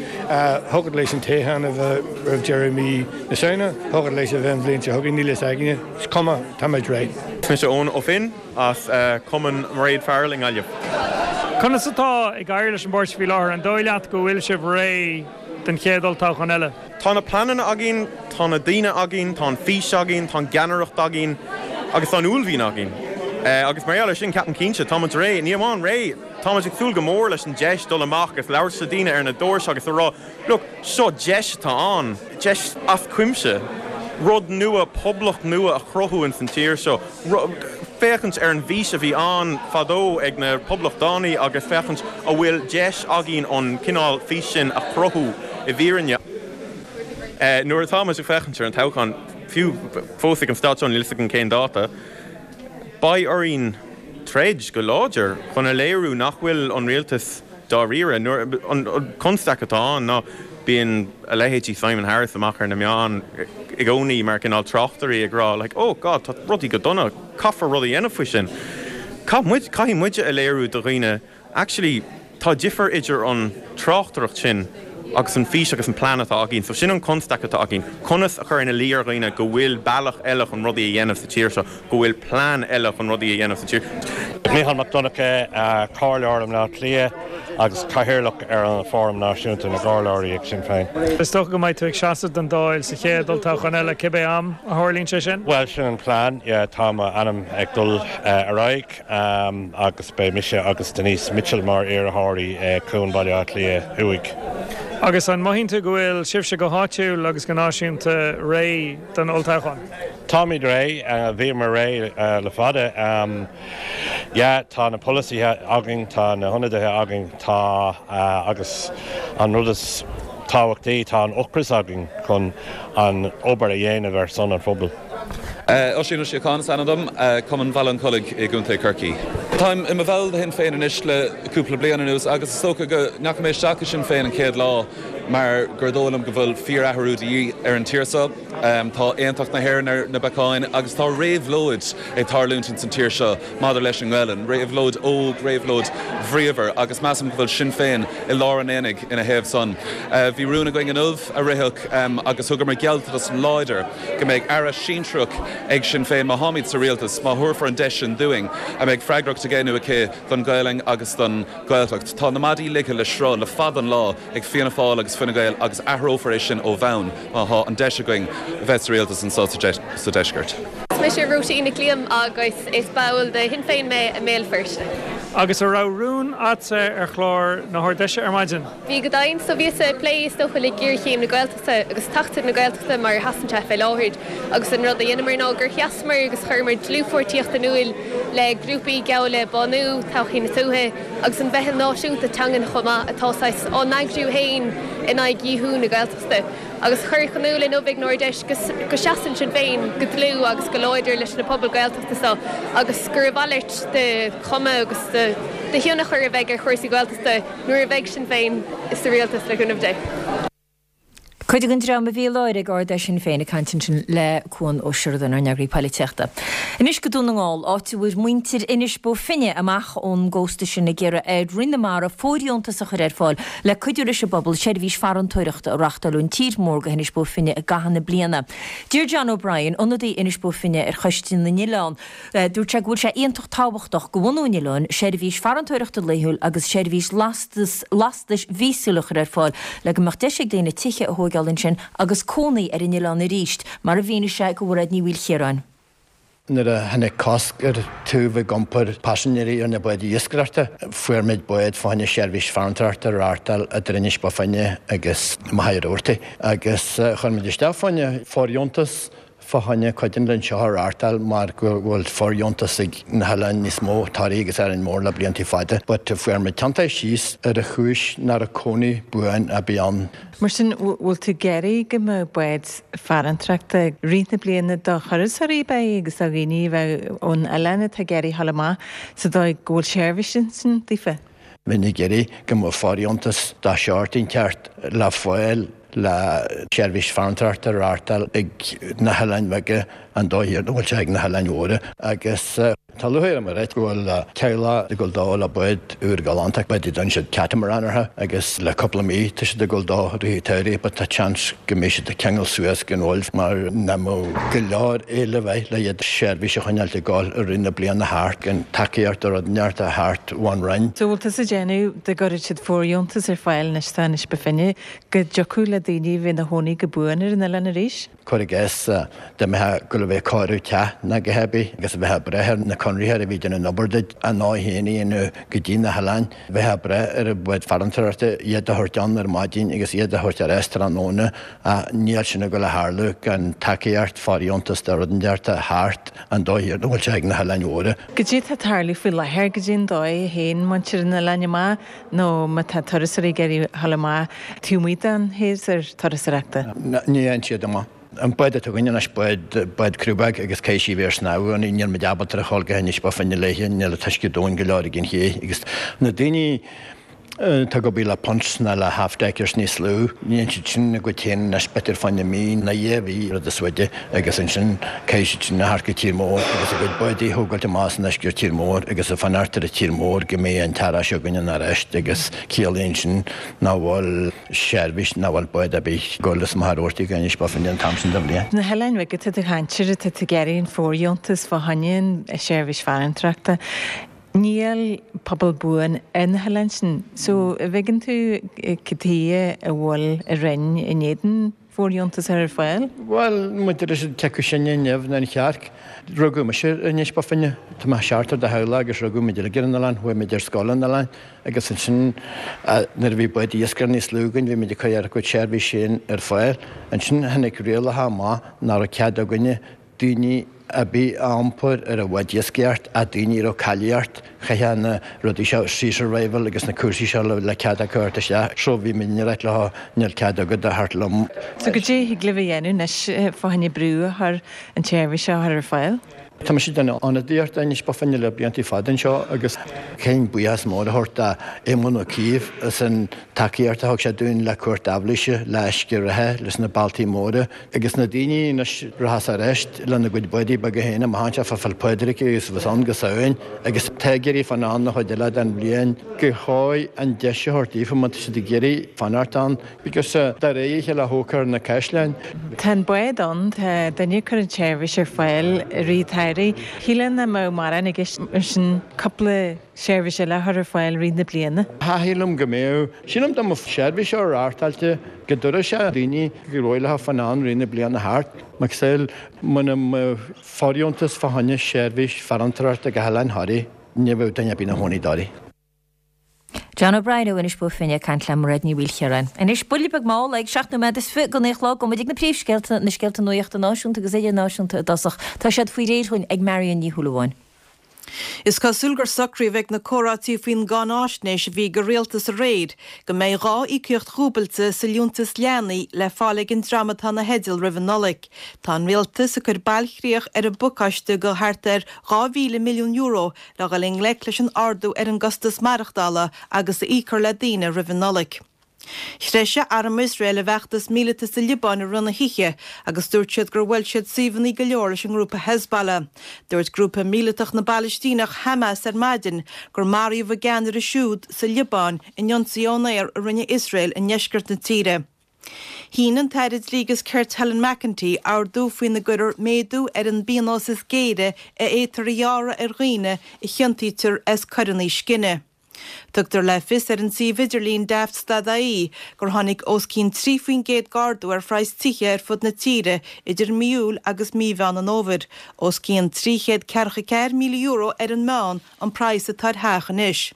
Thiocfadh leis an toghchán a bheith roimh deireadh mí na Samhna, thiocfadh leis a bheith an bhliain seo chugainn, níl fhios againne. Is cuma, táimid réidh. Is mise Eoin Ó Finn. as Cumann Mairéad Farrell i nGaillimh. Conas atá ag éirí leis an bpáirtí faoi láthair? An dóigh leat go bhfuil sibh réidh don chéad olltoghchán eile? Tá na pleananna againn, tá na daoine againn, tá an fís againn, tá an gceannaireacht againn agus tá an uaillmhian againn. Agus mar gheall ar sin, ceapaim cinnte, tá muid réidh. Ní amháin réidh, tá muid ag súil go mór leis an deis dul amach agus labhairt le daoine ar na doirse agus a rá, Look, seo deis atá ann, deis as cuimse, rud nua, poblacht nua a chruthú ins an tír seo, féachaint ar an bhfís a bhí ann fadó ag na poblachtánaigh agus féachaint a bhfuil deis againn an cineál fís sin a chruthú i bhfírinne. Nuair atá muid ag féachaint ar an toghchán, fiú fós ag an staid seo níl fhios againn cén dáta, beidh orainn troid go láidir chun a léiriú nach bhfuil an rialtas Dáiríre, nuair, an constaic atá ann ná bíonn a leithéidí Simon Harris amach ar na meáin i gcónaí mar cineál tráchtairí ag rá like oh God tá rudaí go dona, caithfear rud a dhéanamh faoi sin. Caith muid, caithfidh muide a léiriú do dhaoine actually tá difear idir an tráchtaireacht sin agus an fís agus an plean atá againn. So sin an constaic atá againn, conas a chur ina luí ar dhaoine go bhfuil bealach eile chun rudaí a dhéanamh sa tír seo. go bhfuil plean eile chun rudaí a dhéanamh sa tír. Mícheál Mac Donncha, Comhairleoir i mBleá Cliath agus Cathaoirleach ar an Fóram Náisiúnta na gComhairleoirí ag Sinn Féin. Is dócha go mbeidh tú ag seasamh don Dáil sa chéad olltoghchán eile, cibé am a tharlaíonn sé sin? Bhuel, sin an plean, yeah. Tá m'ainm ag dul ar aghaidh agus beidh mise agus Denise Mitchell mar iarrthóirí Chuan Bhaile Átha Cliath Thuaidh. Agus an mothaíonn tú go bhfuil sibhse go háitiúil agus go náisiúnta réidh don olltoghchán? Táimid réidh, bhíomar réidh le fada. Yeah, tá na polasaithe againn, tá na hionadaithe againn, tá, agus an rud is tábhachtaí, tá an ocras againn chun an obair a dhéanamh ar son an phobail. Oisín Ó Síocháin is ainm dom, Cumann Bhaile an Chollaigh i gContae Chorcaí. Táim i mo bhall de Shinn Féin anois le cúpla bliain anuas agus is dócha go ndeachaigh mé isteach i Sinn Féin an chéad lá mar gur dóigh liom go bhfuil fíor-athrú de dhíth ar an tír seo. Tá aontacht na hÉireann ar na bacáin agus tá réabhlóid ag tarlúint ins an tír seo maidir leis an nGaelainn, réabhlóid óg, réabhlóid bhríomhar agus measaim go bhfuil Sinn Féin i lár an aonaigh ina thaobh san. Bhí rún againn inniu a ritheadh agus thugamar gealltanas láidir go mbeidh aire sinsearach ag Sinn Féin má tháimid sa rialtas, má thabharfar an deis sin dúinn, a mbeidh freagracht aige nó aici don Ghaelainn agus don Ghaeltacht. Tá na maidí ligthe le sruth le fada an lá ag Fianna Fáil agus Fine Gael agus athrófar é sin ó bhonn má thá an deis againn bheith sa rialtas anso sa deisceart. Is mise Róisín Nic Liam agus is ball de Shinn Féin mé i mBéal Feirste. Agus an raibh rún a'dsa ar chlár na hArd-Fheise ar maidin? Bhí go deimhin. So bhíos ag plé is dócha le géarchéim na Gaeltachta agus Acht na Gaeltachta mar a sheasann sé fé láthair agus an rud a dheineamar ná gur sheasamar agus chuireamar dlúthpháirtíocht in iúil le grúpaí geall le Bánú, Todhchaí na Tuaithe agus an Mheitheal Náisiúnta Teangan chomh maith atá saghas á n-eagrú féin in aghaidh dhíothú na Gaeltachta agus cuireadh in iúl inniu ag an Ard-Fheis go seasann Sinn Féin go dlúth agus go láidir leis na pobail Gaeltachta seo agus gur a mhalairt de chuma agus de thionchar a bheidh ar chúrsaí Gaeltachta nuair a bheidh Sinn Féin sa rialtas le cúnamh Dé. Cuid den dream a bhí i láthair ag Ard-Fheis Shinn Féin ag caint ansin le Cuan Ó Seireadáin, ár n-eagraí poilitíochta. Anois go Dún na nGall, áit a bhfuair muintir Inis Bó Finne amach ón gcósta sin ag iarraidh ar Roinn na Mara fóirdheontas a chur ar fáil le cuidiú leis an bpobal seirbhís farantóireachta a reachtáil ón tír mór go hInis Bó Finne i gcaitheamh na bliana. Deir John O'Brien, ionadaí Inis Bó Finne ar Choiste na nOileán, Dúirt sé go bhfuil sé iontach tábhachtach go bhunú an oileáin seirbhís farantóireachta laethúil agus seirbhís lastais mhíosúil a chur ar fáil le go mbeadh deis ag daoine tithe a thóigeáil ansin agus cónaí ar an oileán arís, mar a mhínigh sé do Mhairéad Ní Mhaoilchiaráin. Nuair a tháinig cosc ar tú bheith ag iompar paisinéirí ar na báid iascaireachta, fuair muid bád fá choinne seirbhís farantóireachta a reáchtáil idir Inis Bó Finne agus Machaire Rabhartaigh agus chuir muid isteach fá choinne fóirdheontas fá choinne cuid den linn seo a reáchtáil mar go bhfuil fóirdheontas ag na hoileáin níos mó, Toraigh agus Árainn Mhór le blianta fada. But fuair muid tiontaithe síos ar an chúis nach raibh cónaí buan ar bith ann. Mar sin, bhfuil tú ag iarraidh go mbeadh bád farantóireachta i rith na bliana do thurasóirí ab ea agus do dhaoine a bheadh ón oileán atá ag iarraidh a dhul amach sa dóigh go bhfuil seirbhís ansin daofa? Bheinn ag iarraidh go mbeadh fóirdheontas de shórt inteacht le fáil le seirbhís farantóireachta a reáchtáil ag na hoileáin bheaga an dóigh a bhfuil sé ag na hoileáin mhóra agus tá lúcháir orm a ráit go bhfuil teaghlach ag dul dó le bád úr galánta, bád a dtugann siad catamaran orthu agus le cúpla mí tá siad ag dul dó i rith an tsamhraidh but tá seans go mbeidh siad ag ceangal suas go Uaimh mar nach mbeadh go leor éileamh air le iad seirbhís a choinneáilt ag dul i rith na bliana thart gan tacaíocht nó rud inteacht a theacht ón Roinn. So bhfuil tusa ag déanamh dá gcuirfeadh siad fóirdheontas ar fáil anois tá Inis Bó Finne Go dtiocfadh le daoine a bheith ina chónaí go buan ar an oileán arís. Cuir i gcás, dá mbeifeá ag dul a bheith ag cóiriú teach ná a dhath ar bith agus a bheifeá ag brath ar na conraitheoirí a bhí ag déanamh an obair duit a ngnó féin a dhéanamh go dtí na hoileáin, bheifeá ag brath ar an bhád farantóireachta iad a thabhairt ann ar maidin agus iad a thabhairt ar ais tráthnóna ach níl sin ag dul a tharlú gan tacaíocht, fóirdheontas de rud inteacht a theacht an dóigh a bhfuil sé ag na hoileáin mhóra. Cad é atá ag tarlú faoi láthair, cad é an dóigh a théann muintir an oileáin amach nó má tá turasóirí ag iarraidh a dhul amach taobh amuigh den shéasúr turasóireachta. Ní théann siad amach. An bád atá againn anois, bád, bád criú beag agus caithfidh sí a bheith ar snámh ann, níl muid ábalta a dhul go hInis Bó Finne léithe, níl an t-uisce domhain go leor ag an ché agus na daoine atá ag obair le punts ná le half-deckers níos lú, ní dhéanann siad sin a gcuid féin anois b'fhéidir fá choinne mí nó dhá mhí rud is faide agus ansin caithfidh siad sin a theacht go tír mór agus a gcuid bádaí a thógáilt amach as an uisce ar tír mór agus a fanacht ar an tír mór go mbeidh an t-earrach seo againn ann arís agus ciallaíonn sin nach bhfuil seirbhís, nach bhfuil bád ar bith ag dul as Machaire Rabhartaigh go Inis Bó Finne an t-am sin de bhliain. Na hoileáin bheaga atá tú ag caint air, atá tú ag iarraidh an fóirdheontas fá choinne an seirbhís farantóireachta. Níl pobal buan ar na hoileáin sin. So, an bhfeiceann tú cad chuige a bhfuil an Roinn in éadan fóirdheontas a chur ar fáil? Bhuel, maidir leis an cé acu sinne an nimh nó an chearc, rugadh mise ar Inis Bó Finne. Tá mé seachtar de theaghlach agus rugadh muid uilig ar an oileán, chuaigh muid ar scoil ar an oileán agus ansin nuair a bhí báid iascaire níos lú againn bhí muid ag cur ár gcuid seirbhís féin ar fáil. Ansin tháinig rialacha amach nach raibh cead againne daoine ar bith a iompar ar an bhád iascaireacht ach daoine a raibh cáilíocht, chaithfeadh na rudaí seo, sea survival agus na cúrsaí seo le cead acu a theacht isteach. So bhí muid ag ráit leo níl cead agat a theacht liom. So cad é a thig libh a dhéanamh anois fá choinne brú a chur an tseirbhís seo a chur ar fáil? Tá mise ag déanamh ionadaíocht d'Inis Bó Finne le blianta fada anseo agus caithfinn buíochas mór a thabhairt d'Éamon Ó Cuív as an tacaíocht a thug sé dúinn le Cúirt Aibhléise, le uisce reatha, leis na bealtaí móra. Agus na daoine anois rachas ar ais lena gcuid bádaí beaga féin amach anseo fá Pheil Phádraig agus bheas ann go Samhain agus tá ag iarraidh fanacht ann an chuid eile den bhliain gur chóir an deis a thabhairt daofa má tá siad ag iarraidh fanacht ann because de réir a chéile a thógfar na caisleáin. Tá an bád ann, tá duine ag cur an tseirbhís ar fáil i rith an tsamhraidh. Shílfeá nach mbeadh mórán i gceist mar sin cúpla seirbhís eile a chur ar fáil i rith na bliana. Shílim go mbeadh. Sílim dá mbeadh seirbhís á reáchtáilte go dtabharfadh sé daoine gur mhaith leo fanacht ann rith na bliana thart. Macasamhail, muna mbeadh fóirdheontas fá choinne seirbhís farantóireachta go hOileán Thoraí, ní bheadh duine ar bith ina chónaí i dToraigh. John O'Brien ó Inis Bó Finne ag caint le Mairéad Ní Mhaoilchiaráin. Anois, buille beag mall ag 7 nóiméad is 20 go 9 a chlog, gabhfaidh muid ag na príomhscéalta, na scéalta nuachta náisiúnta agus idirnáisiúnta i dtosach. Tá siad faoi réir dhúinn ag Marion Ní Shúilleabháin. Is cosúil gur socraíodh ag na comhráití faoin gcáináisnéis a bhí ag an rialtas aréir go mbeidh 2 íocaíocht dhúbailte sa liúntas leanaí le fáil ag an dream atá ina theideal roimh an Nollaig. Tá an rialtas ag cur bailchríoch ar an bpacáiste de thart ar €2,000 milliún le dhul i ngleic leis an ardú ar an gcostas maireachtála agus a íocfar le daoine roimh an Nollaig. Threisigh arm Iosrael a bhfeachtas míleata sa Liobáin i rith na hoíche agus dúirt siad gur bhuail siad suíomhanna go leor leis an ngrúpa Hezbollah. Dúirt grúpa míleatach na bPalaistíneach Hamas ar maidin gur maraíodh a gceannaire siúd sa Liobáin in ionsaí ón aer a rinne Iosrael i ndeisceart na tíre. Shínigh an tAire Dlí agus Cirt Helen McEntee ordú faoina gcuirfear méadú ar an bpionós is géire a fhéadtar a ghearradh ar dhaoine a chiontaítear as coireanna scine. Tugtar le fios ar an suíomh idirlín Daft.ie gur tháinig os cionn 3% d'ardú ar phraghas tithe ar fud na tíre idir mí Iúil agus mí Mheán an Fhómhair. Os cionn €344,000 ar an meán an praghas atá ar theach anois.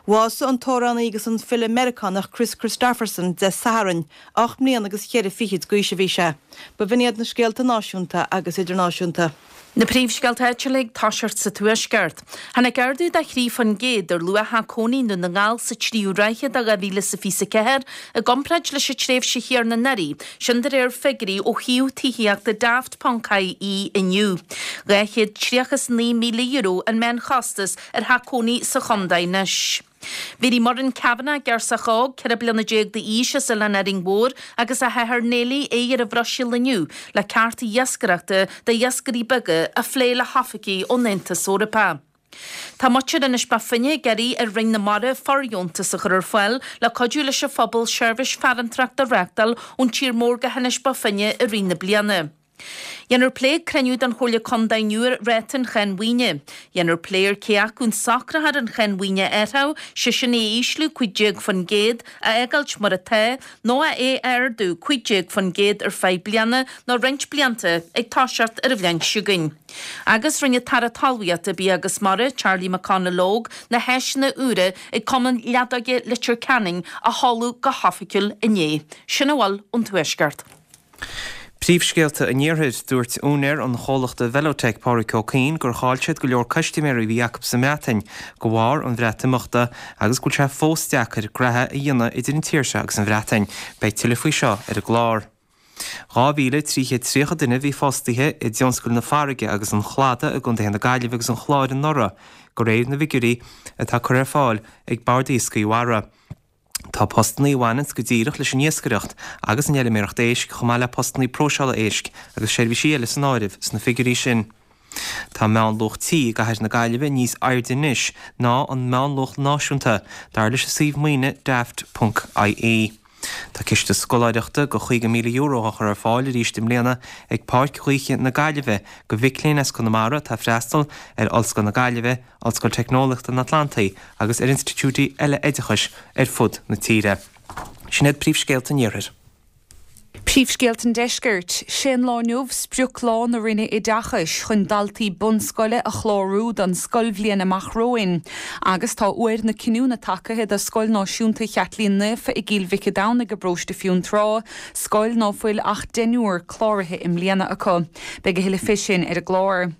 Bhásaigh an t-amhránaí agus an file Meiriceánach Kris Kristofferson Dé Sathairn. 8 mbliana agus cheithre fichid d'aois a bhí sé. B'in iad na scéalta náisiúnta agus idirnáisiúnta. Na príomhscéalta áitiúla ag toiseacht sa Tuaisceart. Tháinig ardú de 3% ar luach theach cónaí i nDún na nGall sa tríú ráithe de 2024 i gcomparáid leis an tréimhse chéanna anuraidh, sin de réir figiúirí ó shuíomh tithíochta Daft.ie inniu. €239,000 an meánchostas ar theach cónaí sa chontae anois. Bhéarfaidh Muireann Kavanagh, girseach óg, 14 bliana d'aois as Oileán Árainn Mhór agus a hathair Neilí aghaidh ar an Bhruiséil inniu le cearta iascaireachta d'iascairí beaga a phlé le hoifigigh ón Aontas Eorpach. Tá muintir Inis Bó Finne ag iarraidh ar Roinn na Mara fordheontas a chur ar fáil le cuidiú leis an phobal seirbhís farantóireachta a reáchtáil ón tír mór go hInis Bó Finne i rith na bliana. Dhéanfar plé ag cruinniú den Chomhairle Contae inniu ar ráta an cháin mhaoine. Dhéanfar plé ar cé acu an socraitheoir an cháin mhaoine a athrú, sé sin é a ísliú 15%, a fhágáilt mar atá, nó é a ardú 15% ar feadh bliana nó roinnt blianta ag toiseacht ar an bhliain seo chugainn. Agus rinne an tAire Talmhaíochta, Bia agus Mara, Charlie McConalogue, na háiseanna úra ag Cumann Leadóige Leitir Ceanainn a sheoladh go hoifigiúil inné. Sin a bhfuil ón Tuaisceart. Príomhscéalta an Iarthair, Dúirt úinéir an chomhlachta Velotech, Pádraic Ó Cuinn, gur chaill siad go leor custaiméirí a bhí acu sa mBreatain de bharr an Bhreatimeachta agus go bhfuil sé fós deacair graithe a dhéanamh idir an tír seo agus an Bhreatain. Beidh tuilleadh faoi seo ar an gclár. 2,330 duine a bhí fostaithe i dtionscail na farraige agus an chladaigh i gcontaetha na Gaillimhe agus an Chláir anuraidh, de réir na bhfigiúirí atá curtha ar fáil ag Bord Iascaigh Mhara. Tá postannaí a bhaineanns go díreach leis an iascaireacht agus an fheilméaracht éisc chomh maith le postannaí próiseála éisc agus seirbhísí eile san áireamh sna figiúirí sin. Tá meánluach tí i gcathair na Gaillimhe níos airde anois ná an meánluach náisiúnta, dar leis an suíomh maoine Daft ponc ie. Tá ciste scoláireachta de €50,000 á chur ar fáil arís i mbliana ag Páirc Ghaoithe na Gaillimhe do mhic léinn as Conamara atá ag freastal ar Ollscoil na Gaillimhe, Ollscoil Teicneolaíochta an Atlantaigh agus ar institiúidí eile oideachais ar fud na tíre. Sin iad príomhscéalta an Iarthair. Príomhscéalta an Deiscirt. Sé an lá inniu sprioclá na Roinne Oideachais chun daltaí bunscoile a chlárú don scoilbhliain amach romhainn. Agus tá uair na cinniúna tagaithe do Scoil Náisiúnta Chaitlín Naofa i gCill Mhic a' Domhnaigh i bparóiste Fionntrá, scoil ná fuil ach deichniúr cláraithe i mbliana acu. Beidh a thuilleadh fé sin ar an gclár.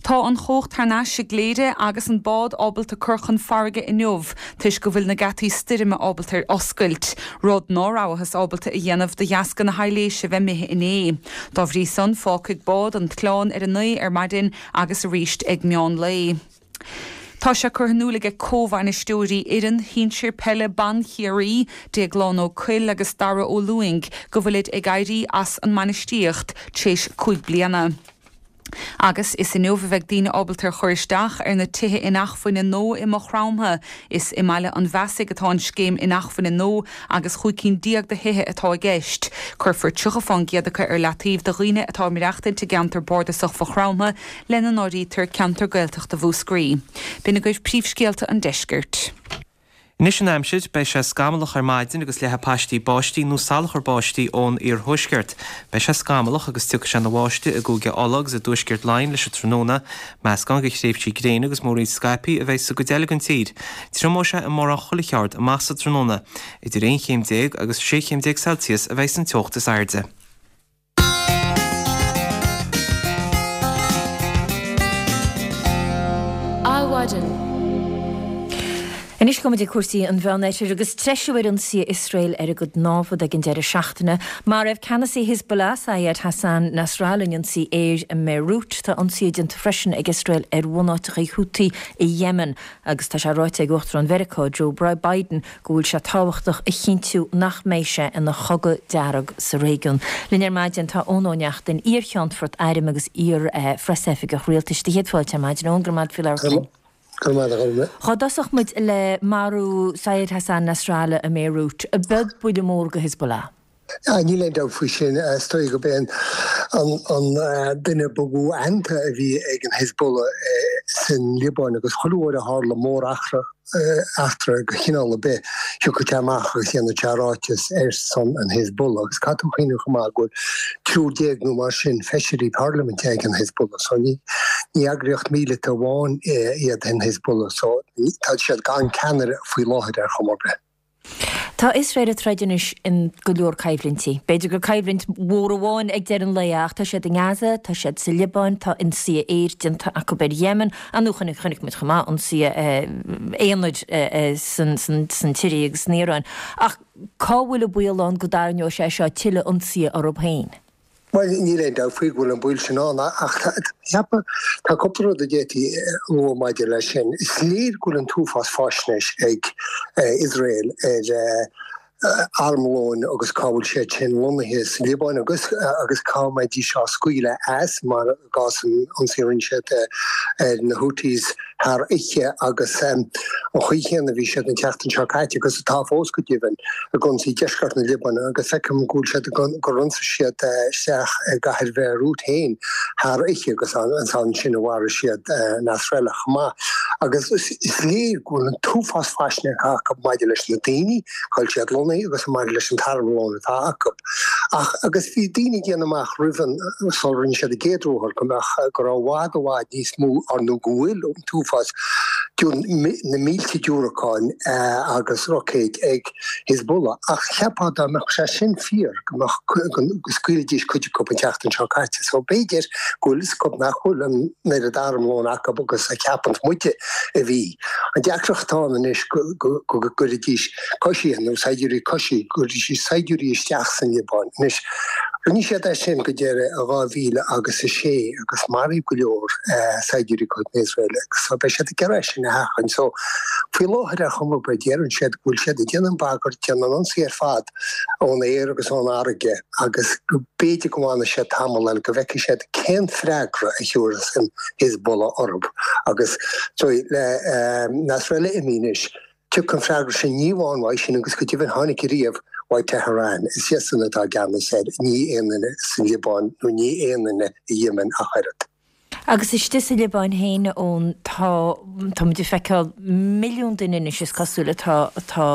Tá an chumhacht thar n-ais i gCléire agus an bád ábalta cur chun farraige inniu toisc go bhfuil na geataí stoirme ábalta ar oscailt, rud ná rabhthas ábalta a dhéanamh de dheasca na haibhléise bheith imithe inné. Dá bhrí san, fágfaidh bád an t-oileán ar a 9 ar maidin agus arís ag meán lae. Tá sé curtha in iúl aige comhbhainisteoirí fhoireann shinsir peile ban Chiarraí, Déaglán Ó Cuill agus Dara Ó Lúing, go bhfuilid ag éirí as an mbainistíocht tar éis 5 bliana. Agus is inniu a bheidh daoine ábalta ar chur isteach ar na tithe inacmhainne nua i Maigh Chromtha. Is i mBaile an Bheasaigh atá an scéim inacmhainne nua agus 15 cinn de thithe atá i gceist. Cuirfear 30 fán gcéad acu ar leataobh do dhaoine atá ag maireachtaint i gceantar bardasach Mhaigh Chromtha, lena n-áirítear ceantar Gaeltachta Mhúscraí. B'in agaibh príomhscéalta an deiscirt. Anois an aimsir, beidh sé scamallach ar maidin agus leathfaidh paistí báistí nó salachar báistí ón iarthuaisceart. Beidh sé scamallach agus tiocfaidh sé ina bháisteach i gCúige Uladh agus i dtuaisceart Laighean leis an tráthnóna. Meascán de thréimhsí gréine agus múraíl scaipthe a bheidh sa gcuid eile den tír. Triomóidh sé i mórán chuile cheard amach sa tráthnóna. Idir 11 chéim agus 16 chéim Celsius a bheidh san teocht is airde. Adhmhaidin. Anois gabhfaidh muid ag cúrsaí an Mheánoirthir agus treisiú ar ionsaithe Iosrael ar a gcuid námhad ag an deireadh seachtaine. Maraíodh ceannasaí Hezbollah, Sayyed Hassan Nasrallah in ionsaí aeir i mBeirut. Tá ionsaithe déanta freisin ag Iosrael ar bhunáiteacha Houthi i Yemen agus tá sé ráite ag Uachtarán Mheiriceá, Joe Biden, go bhfuil sé tábhachtach a chinntiú nach mbeidh sé ina chogadh dearg sa réigiún. Linn ar maidin tá Eoin Ó Neachtain, iar-Cheannfort Airm agus iar-Phreasoifigeach Rialtais. Do chéad fáilte ar maidin, Eoin, go raibh maith agat faoi labhairt linn. Go raibh maith agat. Dhá dtosódh muid le marú Sayyed Hassan Nasrallah i mBeirut, ab ea buille mór go Hezbollah? Níl aon dabht faoi sin. Is dóigh gurb é an duine ba mhó aitheanta a bhí ag an Hezbollah san Liobáin agus chuile uair a tharla móreachtra eachtra de chineál ar bith, thiocfadh sé amach agus dhéanfadh sé ráiteas ar son an Hezbollah. Agus caithfidh tú cuimhneamh chomh maith go bhfuil triúr déag nó mar sin feisirí parlaiminte ag an Hezbollah. So ní eagraíocht míleata amháin iad an Hezbollah. So tá siad gan ceannaire faoi láthair ar chuma ar bith. Tá Iosrael ag troid anois in go leor coimhlintí. B'fhéidir gur coimhlint mhór amháin ag deireadh an lae é ach tá siad i nGaza, tá siad sa Liobáin, tá ionsaithe aeir déanta acu ar Yemen, Ar ndóigh chonaic muid chomh maith ionsaithe aonair san tSiria agus san Iaráin. Ach cá bhfuil an baol ann go dtarraingeoidh sé seo tuilleadh ionsaithe orthu féin? Bhuel, níl aon dabht faoi go bhfuil an baol sin ann ach cheapfá, tá cúpla rud a d'fhéadfaí a lua maidir leis sin. Is léir go bhfuil an t-uafás faisnéis ag Iosrael ar armlóin agus cá bhfuil siad sin lonnaithe sa Liobáin agus agus cá mbeidís á scaoileadh as, mar i gcás an ionsaí a rinne siad ar na Houthis thar oíche agus an chaoi chéanna a bhí siad an tseachtain seo caite agus atá fós go deimhin ag ionsaí deisceart na Liobáine agus feicim go bhfuil siad gur ionsaigh siad isteach i gcathair Bheirút féin thar oíche agus ansin a mharaigh siad Nasrallah chomh maith agus is léir go bhfuil an t-uafás faisnéise acu maidir leis na daoine Cá bhfuil siad lonnaithe agus maidir leis an t-armlón atá acu. Ach agus bhí daoine ag déanamh amach roimh an, sular rinne siad an gcéad ruathar, go mbeadh, go raibh i bhfad, i bhfad níos mó, ar nó go bhfuil an t-uafás, na mílte diúracáin agus roicéid ag Hezbollah. Ach cheapfá dá mbeadh sé sin fíor, go mbeadh, go scaoilfidís cuid acu an tseachtain seo caite. So b'fhéidir go bhfuil fhios acu nach bhfuil an oiread armlóin acu agus a cheapann muide a bhí. An deacracht atá ann anois go gcuirfidís coisithe nó saighdiúirí coisithe, go gcuirfidís saighdiúirí isteach san Liobáin. Anois, rinne siad é sin go deireadh i 2000 agus a sé agus maraíodh go leor saighdiúirí de chuid na hIosraeile agus so beidh siad ag iarraidh é sin a sheachaint. So, faoi láthair ar chuma ar bith, deireann siad go bhfuil siad ag déanamh an bhagairt, déanamh an ionsaí ar fad ón aer agus ón fharraige agus go b'fhéidir go bhfanfaidh siad tamall eile go bhfeicfidh siad cén freagra a thiúrfas an Hezbollah orthu agus le Nasrallah imithe anois, tiocfaidh an freagra sin ní amháin uaidh sin agus go deimhin tháinig ariamh uaidh Tehran, is iadsan atá i gceannas air, ní aon duine sa Liobáin nó ní aon duine i Yemen ach oiread. Agus istigh sa Liobáin féin, Eoin, tá, tá muid ag feiceáil milliún duine anois, is cosúil, atá, atá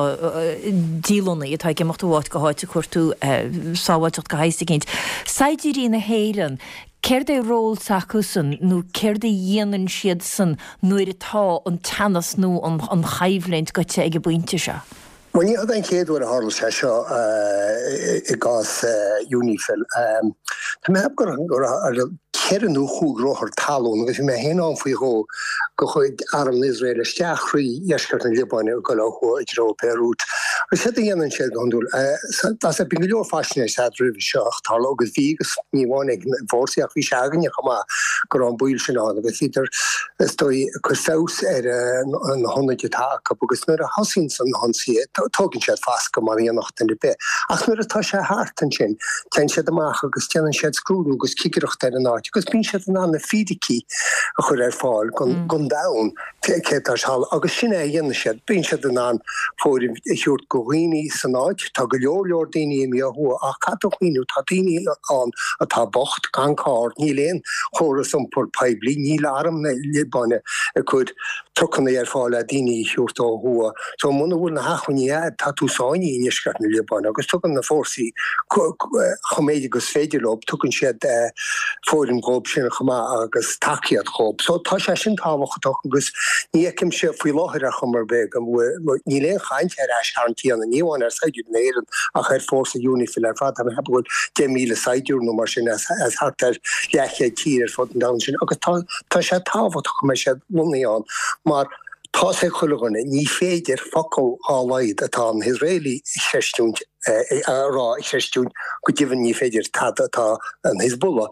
dílonnaithe, atá ag imeacht ó áit go háit ag cuartú sábháilteacht de shaghas eicínt. Saighdiúirí na hÉireann, céard é ról s'acusan nó céard a dhéanann siadsan nuair atá an teannas nó an, an choimhlint goite ag an bpointe seo? Bhuel, ní hé an chéad uair a tharla sé seo i gcás Unifil. Tá mé ag ceapadh go raibh ceithre nó chúig ruathar talún agus bhí mé féin ann faoi dhó de chuid Arm na Iosraeile isteach thrí dheisceart na Liobáine ag dul ó thuaidh i dtreo Beirut. Agus céard a dhéanann siad go hiondúil? Tá bíonn go leor faisnéis agat roimhe seo ach tharla agus bhí agus ní amháin ag na fórsaí ach bhí sé againne chomh maith go raibh an baol sin ann agus bhíodar is dóigh, ag cur feabhas ar na hionaid atá acu agus nuair a thosaíonn na hionsaithe, tógann siad fascadh mar a dhéanfadh duine ar bith. Ach nuair atá sé thart ansin, téann siad amach agus déanann siad scrúdú agus cigireacht ar an áit agus bíonn siad in ann na fíricí a chur ar fáil don domhan céard atá ag tarlú agus sin é a dhéanann siad. Bíonn siad in ann fóireann a thabhairt go dhaoine san áit. Tá go leor leor daoine imithe ó thuaidh ach caithfidh tú cuimhneamh, tá daoine ann atá bocht, gan carr, níl aon chóras iompair poiblí, níl arm na Liobáine ag cur trucanna ar fáil le daoine a thabhairt ó thuaidh. So muna bhfuil na hacmhainní agat, tá tú sáinnithe i ndeisceart na Liobáine agus tugann na fórsaí chomh méid agus féidir leo, tugann siad fóireann dhóibh sin chomh maith agus tacaíocht dhóibh. So tá sé sin tábhachtach agus ní fheicimse faoi láthair ar chuma ar bith go bhfuil, níl aon chaint ar aistarraingt a dhéanamh, ní amháin ar saighdiúirí na hÉireann ach ar fórsa Unifil ar fad. Tá mé ag ceapadh go bhfuil 10,000 saighdiúir nó mar sin as thart ar leathchéad tír ar fud an domhain sin agus tá sé tábhachtach go mbeidh siad lonnaithe ann mar. Tá's ag chuile dhuine, ní féidir focal dhá laghad atá an hIosraelaigh a chreistiúint, a rá a chreistiúint, go deimhin ní féidir tada atá an Hezbollah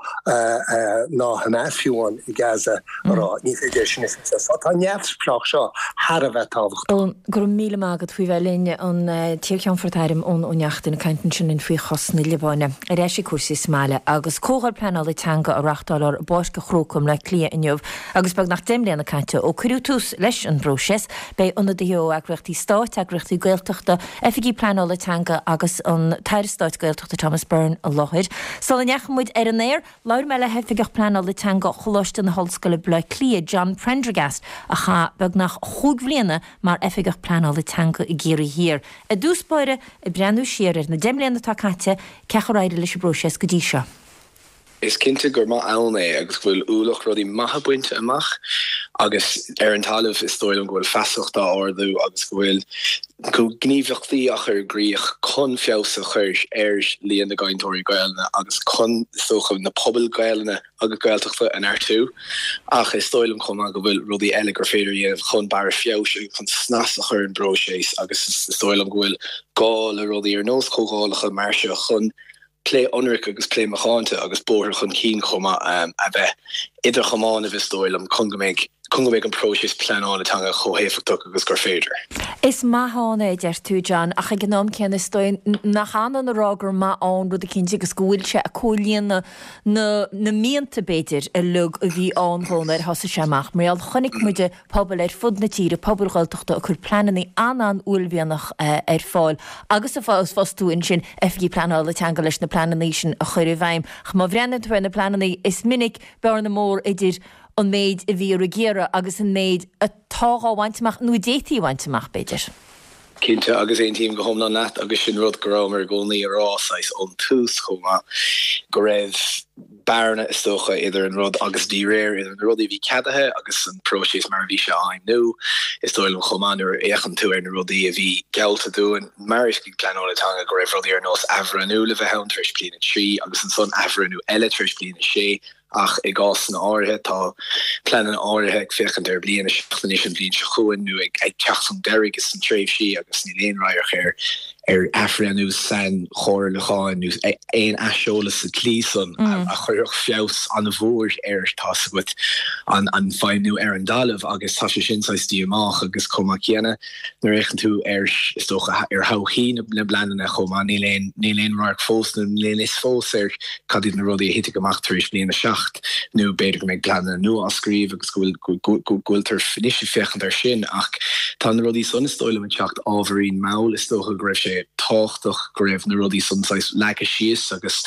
ná Hamas fiú amháin i Gaza a rá, ní féidir é sin a chreistiúint. So tá an neamhspleách seo thar a bheith tábhachtach. Eoin, go raibh míle maith agat faoi bheith linn, an t-iar-Cheannfort Airm Eoin Ó Neachtain ag caint ansin linn faoi chás na Liobáine. Ar ais ag cúrsaí sa mbaile agus comhdháil pleanála teanga á reáchtáil i bPáirc an Chrócaigh i mBleá Cliath inniu Agus beagnach 10 mbliana caite ó cuireadh tús leis an bpróiseas, beidh ionadaithe ó eagraíochtaí stáit, eagraíochtaí Gaeltachta, oifigigh pleanála teanga agus an tAire Stáit Gaeltachta Thomas Byrne i láthair. Sula ndeachaigh muid ar an aer, labhair mé le hOifigeach Pleanála Teanga Choláiste na hOllscoile Baile Átha Cliath, John Prendergast, a chaith beagnach chúig bhliana mar Oifigeach Pleanála Teanga i gCiarraí Thiar. I dtús báire, ag breathnú siar ar na 10 mbliana atá caite, cén chaoi ar éirigh leis an bpróiseas go dtí seo. Is cinnte gur maith ann é agus go bhfuil ualach rudaí maithe bainte amach agus ar an talamh is dóigh liom go bhfuil feasacht á ardú agus go bhfuil gníomhaíochtaí á chur i gcrích chun feabhas a chur ar líon na gcainteoirí Gaelainne agus chun, is dócha, na pobail Ghaelainne agus Gaeltachta a neartú. Ach is dóigh liom chomh maith go bhfuil rudaí eile gur féidir a dhéanamh chun barr feabhais agus chun snas a chur ar an bpróiseas agus is dóigh liom go bhfuil gá le rudaí ar nós comhdhálacha mar seo chun plé ionraic agus plé macánta agus bóthar chun cinn chomh maith a bheith idir chamánaibh is dóigh liom chun go mbeidh chun go mbeidh an próiseas pleanála teanga chomh héifeachtach agus gur féidir. Is maith ann é, a deir tú, John, ach ag an am céanna is dóigh nach ionann a rá gur maith ann rud eicínt agus go bhfuil sé ag comhlíonadh na na mianta, b'fhéidir, uilig a bhí ann dhó nuair a thosaigh sé amach. Mar gheall, chonaic muide pobail ar fud na tíre, pobail Ghaeltachta ag cur pleananna an-an-uaillmhianach ar fáil agus ag fostú ansin oifigigh pleanála teanga leis na pleananna sin a chur i bhfeidhm. Ach má bhreathnaíonn tú ar na pleananna, is minic bearna mór idir an méid a bhíodh ag iarraidh agus an méid atá dhá bhaint amach, nó a d'fhéadfaí a bhaint amach, b'fhéidir. Cinnte, agus aontaím go hiomlán leat, agus sin rud go rabhamar i gcónaí a rá, saghas, ón tús chomh maith, go raibh bearna, is dócha, idir an rud agus díréir idir na rudaí a bhí ceadaithe agus an próiseas mar a bhí sé á fheidhmiú. Is dóigh liom chomh maith, nuair a fhéachann tú ar na rudaí a bhí geallta dúinn mar Oifigigh Pleanála Teanga, go raibh rudaí ar nós athbhreithniú le bheith ann tar éis bliain a 3 agus ansan athbhreithniú eile tar éis bliain a 6, Ach i gcásanna áirithe, tá pleananna áirithe ag féachaint ar bliain 7 anois an bhliain seo chugainn nó ag teacht chun deiridh sna tréimhsí agus níl aon radharc ar ar athbhreithniú sainchomhairliúcháin nó aon aiseolas sa tslí san a chuirfeadh feabhas an-mhór ar, tá's agat, an an feidhmiú ar an dtalamh agus tá sé sin saghas díomách agus chomh maith céanna Nuair a fhéachann tú ar, is dócha, ar thodhchaí na bpleananna chomh maith, níl aon, níl aon radharc fós nó níl aon fhios fós ar cad iad na rudaí a thitfidh amach tar éis bliain 7 nó b'fhéidir go mbeidh pleananna nua á scríobh agus go bhfuil, go, go bhfuiltear anois ag féachaint air sin ach tá na rudaí san, is dóigh liom, ag teacht ábhairín mall. Is dócha go raibh sé tábhachtach go raibh na rudaí san saghas leagtha síos agus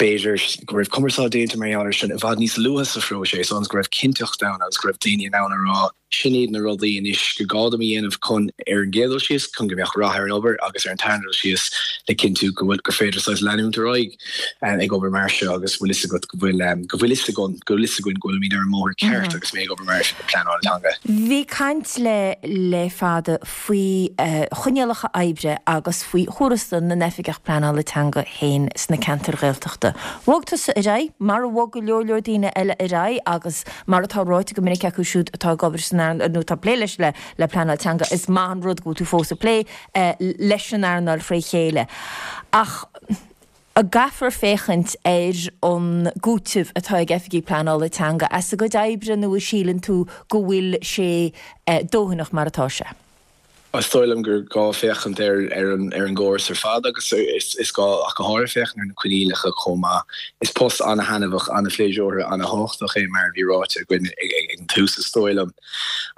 b'fhéidir go raibh cumarsáid déanta mar gheall air sin i bhfad níos luaithe sa phróiseas ionas go raibh cinnteacht ann agus go raibh daoine in ann a rá Sin iad na rudaí anois gur gá dom a dhéanamh chun, ar an gcéad dul síos, chun go mbeadh rath ar an obair agus ar an tarna dul síos, le cinntiú go bhfuil, gur féidir saghas leanúint ar aghaidh ag obair mar seo agus bhfuil fhios agat go bhfuil, go bhfuil fhios againn, go bhfuil fhios againn go bhfuilimid ar an mbóthar ceart agus mé ag obair mar Oifigeach Pleanála Teanga. Bhí caint le le fada faoi choinníollacha oibre agus faoi thuarastal na n-oifigeach pleanála teanga féin sna ceantair Ghaeltachta. Bhog tusa ar aghaidh, mar a bhog go leor leor daoine eile ar aghaidh agus mar atá ráite go minic acu siúd atá ag obair san earnáil nó atá ag plé leis le pleanáil teanga, is maith an rud go bhfuil tú fós ag plé leis an earnáil fré chéile. Ach an gcaithfear féachaint ar an gcúiteamh atá ag oifigigh pleanála teanga as a gcuid oibre nó an síleann tú go bhfuil sé dóthanach mar atá sé? Is dóigh liom gur gá féachaint ar ar an ar an gcóras ar fad agus is gá ach go háirithe féachaint ar na coinníollacha chomh maith. Is post ana-thaitneamhach, ana-phléisiúrtha, ana-thábhachtach é mar a bhí ráite againn ag an tús is dóigh liom.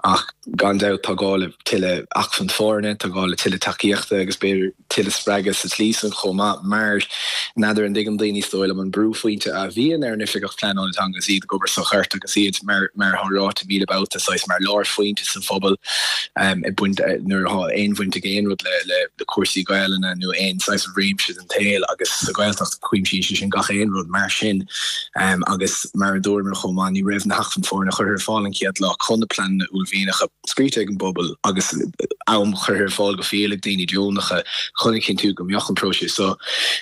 Ach gan dabht tá gá le tuilleadh acmhainn foirne, tá gá le tuilleadh tacaíochta agus b'fhéidir tuilleadh spreagadh sa tslí san chomh maith mar n'fheadar an dtuigeann daoine is dóigh liom an brúphointe a bhíonn ar an Oifigeach Pleanála Teanga agus iad ag obair sa ghort agus iad mar mar atá ráite míle babhta saghas mar lárphointe sa phobal ag baint nuair a. nuair atá aon bhaint ag aon rud le le cúrsaí Gaelainne nó aon saghas réimse den tsaol agus sa Ghaeltacht cuimsíonn sé sin gach aon rud mar sin agus mar a dúramar chomh maith ní raibh na hacmhainn foirne curtha ar fáil an chéad lá chun na pleananna uaillmhianacha scríte ag an bpobal agus am curtha ar fáil go fial ag daoine deonacha chun a chinntiú go mbeadh an próiseas seo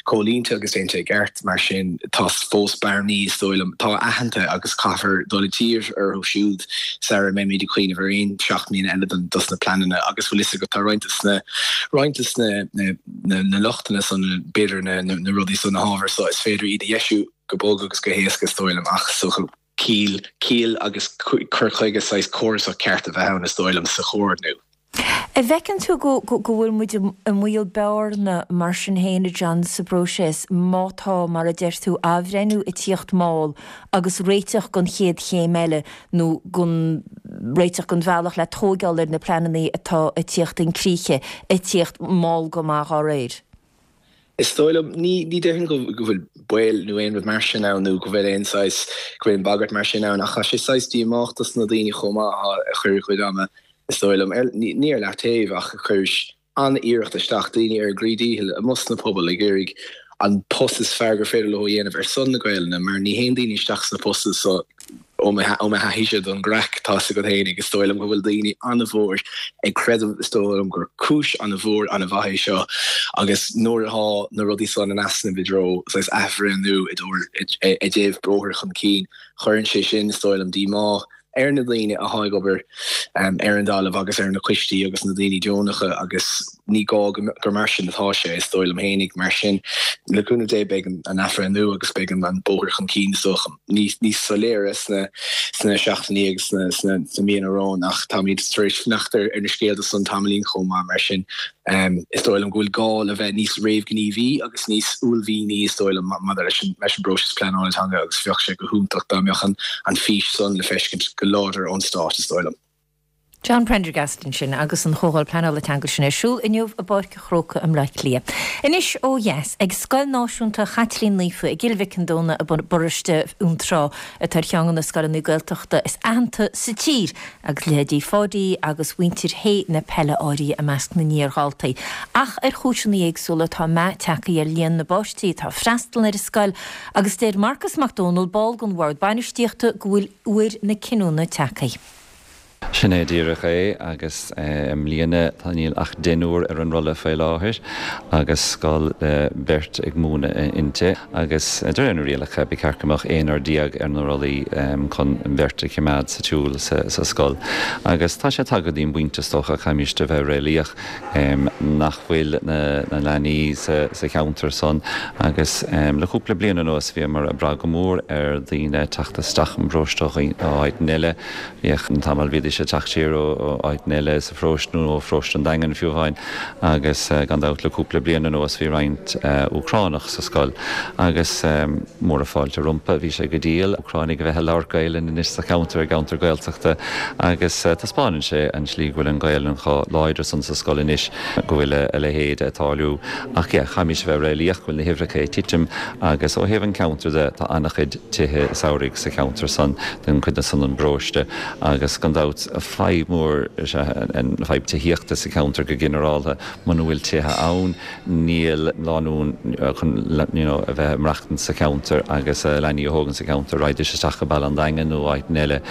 comhlíonta agus déanta i gceart. Mar sin, tá fós bearnaí, is dóigh liom, atá aitheanta agus caithfear dul i dtír orthu siúd sara mbeimid ag cuimhneamh ar aon 7 mbliana eile dos na pleananna agus bhfuil fhios agat tá roinnt de na roinnt de na na lochtanna san, b'fhéidir na na rudaí san, na hábhair so, is féidir iad a dheisiú go bog agus go héasca is dóigh liom ach is dócha ciall, ciall agus cur chuige saghas córasach ceart a bheith ann is dóigh liom sa chomhordnú. An bhfeiceann tú go bhfuil muid i mbaol bearna mar sin féin, a John, sa bpróiseas, má tá, mar a deir tú, athbhreithniú ag tíocht mall agus réiteach don chéad chéim eile nó don réiteach don bhealach le tóigeáil ar na pleananna atá ag tíocht chun críche ag tíocht mall go maith dhá réir? Is dóigh liom, ní ní déarfainn go go bhfuil baol nó aon rud mar sin ann nó go bhfuil aon saghas, go bhfuil aon bhagairt mar sin ann ach tá sé saghas díomách dos na daoine chomh maith atá a chuir a gcuid ama, is dóigh liom, ar, ní ní ar leataobh ach a chuir an-iarracht isteach, daoine ar a gcroí díchill amuigh sna pobail ag iarraidh an post is fearr gur féidir leo a dhéanamh ar son na Gaelainne mar ní théann daoine isteach sna postanna so Ó mo thaithíse don gcraic, tá 's agat fhéinig, is dóigh liom go bhfuil daoine an-mhór ag creideamh, is dóigh liom gur cúis an-mhór an-mhaith é seo agus nuair atá na rudaí san in easnamh i dtreo saghas athbhreithniú i i dtaobh bóthar chun cinn, cuireann sé sin, is dóigh liom, díomá ar na daoine atá ag obair ar an dtalamh agus ar na coistí agus na daoine deonacha agus. Ní gá gur mar sin atá sé, is dóigh liom fhéinig. Mar sin, le cúnamh Dé, beidh an athbhreithniú agus beidh an bóthar chun cinn, is dócha, níos soiléire sna seachtainí agus sna míonna romhainn. Ach táimid tar éis fanacht ar na scéalta san tamaillín chomh maith. Mar sin, is dóigh liom go bhfuil gá le bheith níos réamhghníomhaí agus níos uaillmhianaí, is dóigh liom, maidir leis an bpróiseas pleanála teanga agus bheadh sé go hiontach dá mbeadh an fís san le feiscint go láidir ón Stát, is dóigh liom. John Prendergast ansin agus an Chomhdháil Pleanála Teanga sin ar siúl inniu i bPáirc an Chrócaigh i mBleá Cliath. Anois ó dheas, ag Scoil Náisiúnta Chaitlín Naofa i gCill Mhic an Domhnaigh i bparóiste Fhionntrá atá ar cheann de na scoileanna Gaeltachta is aitheanta sa tír agus leithéidí Pháidí agus mhuintir Shé na Peile áirithe i measc na n-iardhaltaí. Ach ar chúiseanna éagsúla tá meath tagtha ar líon na bpáistí atá ag freastal ar an scoil agus deir Marcus Mac Dónaill, ball den Bhord Bainistíochta, go bhfuil uair na cinniúna tagtha. Sin é díreach é agus i mbliana tá níl ach deichniúr ar an rolla faoi láthair agus scoil le beirt ag múineadh inti agus de réir na rialacha ba cheart go mbeadh aonár déag ar na rollaí chun an bheirt a choimeád sa tsiúl sa scoil agus tá sé tagtha go dtí an bpointe is dócha caithfimíst a bheith réalaíoch nach bhfuil na leanaí sa cheantar san agus le cúpla bliain anuas bhíomar ag brath go mór ar daoine teacht isteach an bparóiste ó áiteanna eile. Bhíodh tamall bhídís ag teacht siar ó áiteanna eile sa pharóiste nó ó pharóiste an Daingin fiú amháin agus gan dabht le cúpla bliain anuas bhí roinnt Úcránach sa scoil agus móra fáilte rompu. Bhí sé go diail Úcránaigh a bheith ag labhairt Gaelainn anois sa cheantar, i gceantar Gaeltachta agus taispeánann sé an tslí go bhfuil an Ghaelainn chomh láidir san sa scoil anois go bhfuil a leithéid ag tarlú. Ach yeah, caithfimís a bheith réalaíoch go bhfuil na huimhreacha ag titim agus ó thaobh an cheantair de tá an-chuid tithe samhraidh sa cheantar san den chuid san den bparóiste agus gan dabht fadhb mhór is ea an fadhb tithíochta sa cheantar go ginearálta. Muna bhfuil tithe ann níl lánúin chun you know a bheith ag maireachtaint sa cheantar agus a leanaí a thógaint sa cheantar raghaidís isteach go Baile an Daingin nó áiteanna eile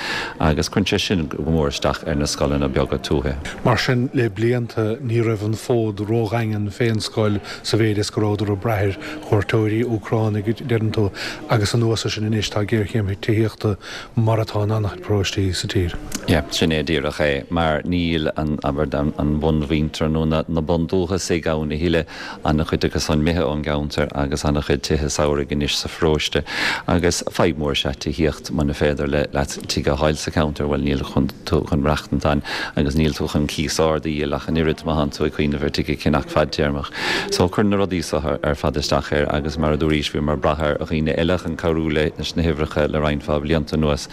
agus cuireann sé sin go mór isteach ar na scoileanna beaga tuaithe. Mar sin le blianta ní raibh an fód ródhaingean fén scoil sa mhéid is go rabhadar ag brath ar chuairteoirí Úcránaigh, deireann tú, agus anuas air sin anois tá géarchéim tithíochta mar atá in an-chuid paróistí sa tír. Yeah, sin é díreach é, mar níl an, abair, an bhunmhuintir nó na bundúchasaigh ann a thuilleadh, an-chuid acu san imithe ón gceantar agus an-chuid tithe samhraidh anois sa pharóiste. Agus fadhb mhór is ea tithíocht, muna féidir leat tigh a fháil sa cheantar, bhuel níl tú chun maireachtaint ann agus níl tú chun cíos ard a dhíol ach an oiread má thánn tú ag cuimhneamh ar tigh a cheannach fadtéarmach. So cuireann na rudaí so ar fad isteach air agus mar a dúraís bhíomar ag brath ar dhaoine eile chun cabhrú leis na huimhreacha le roinnt mhaith blianta anuas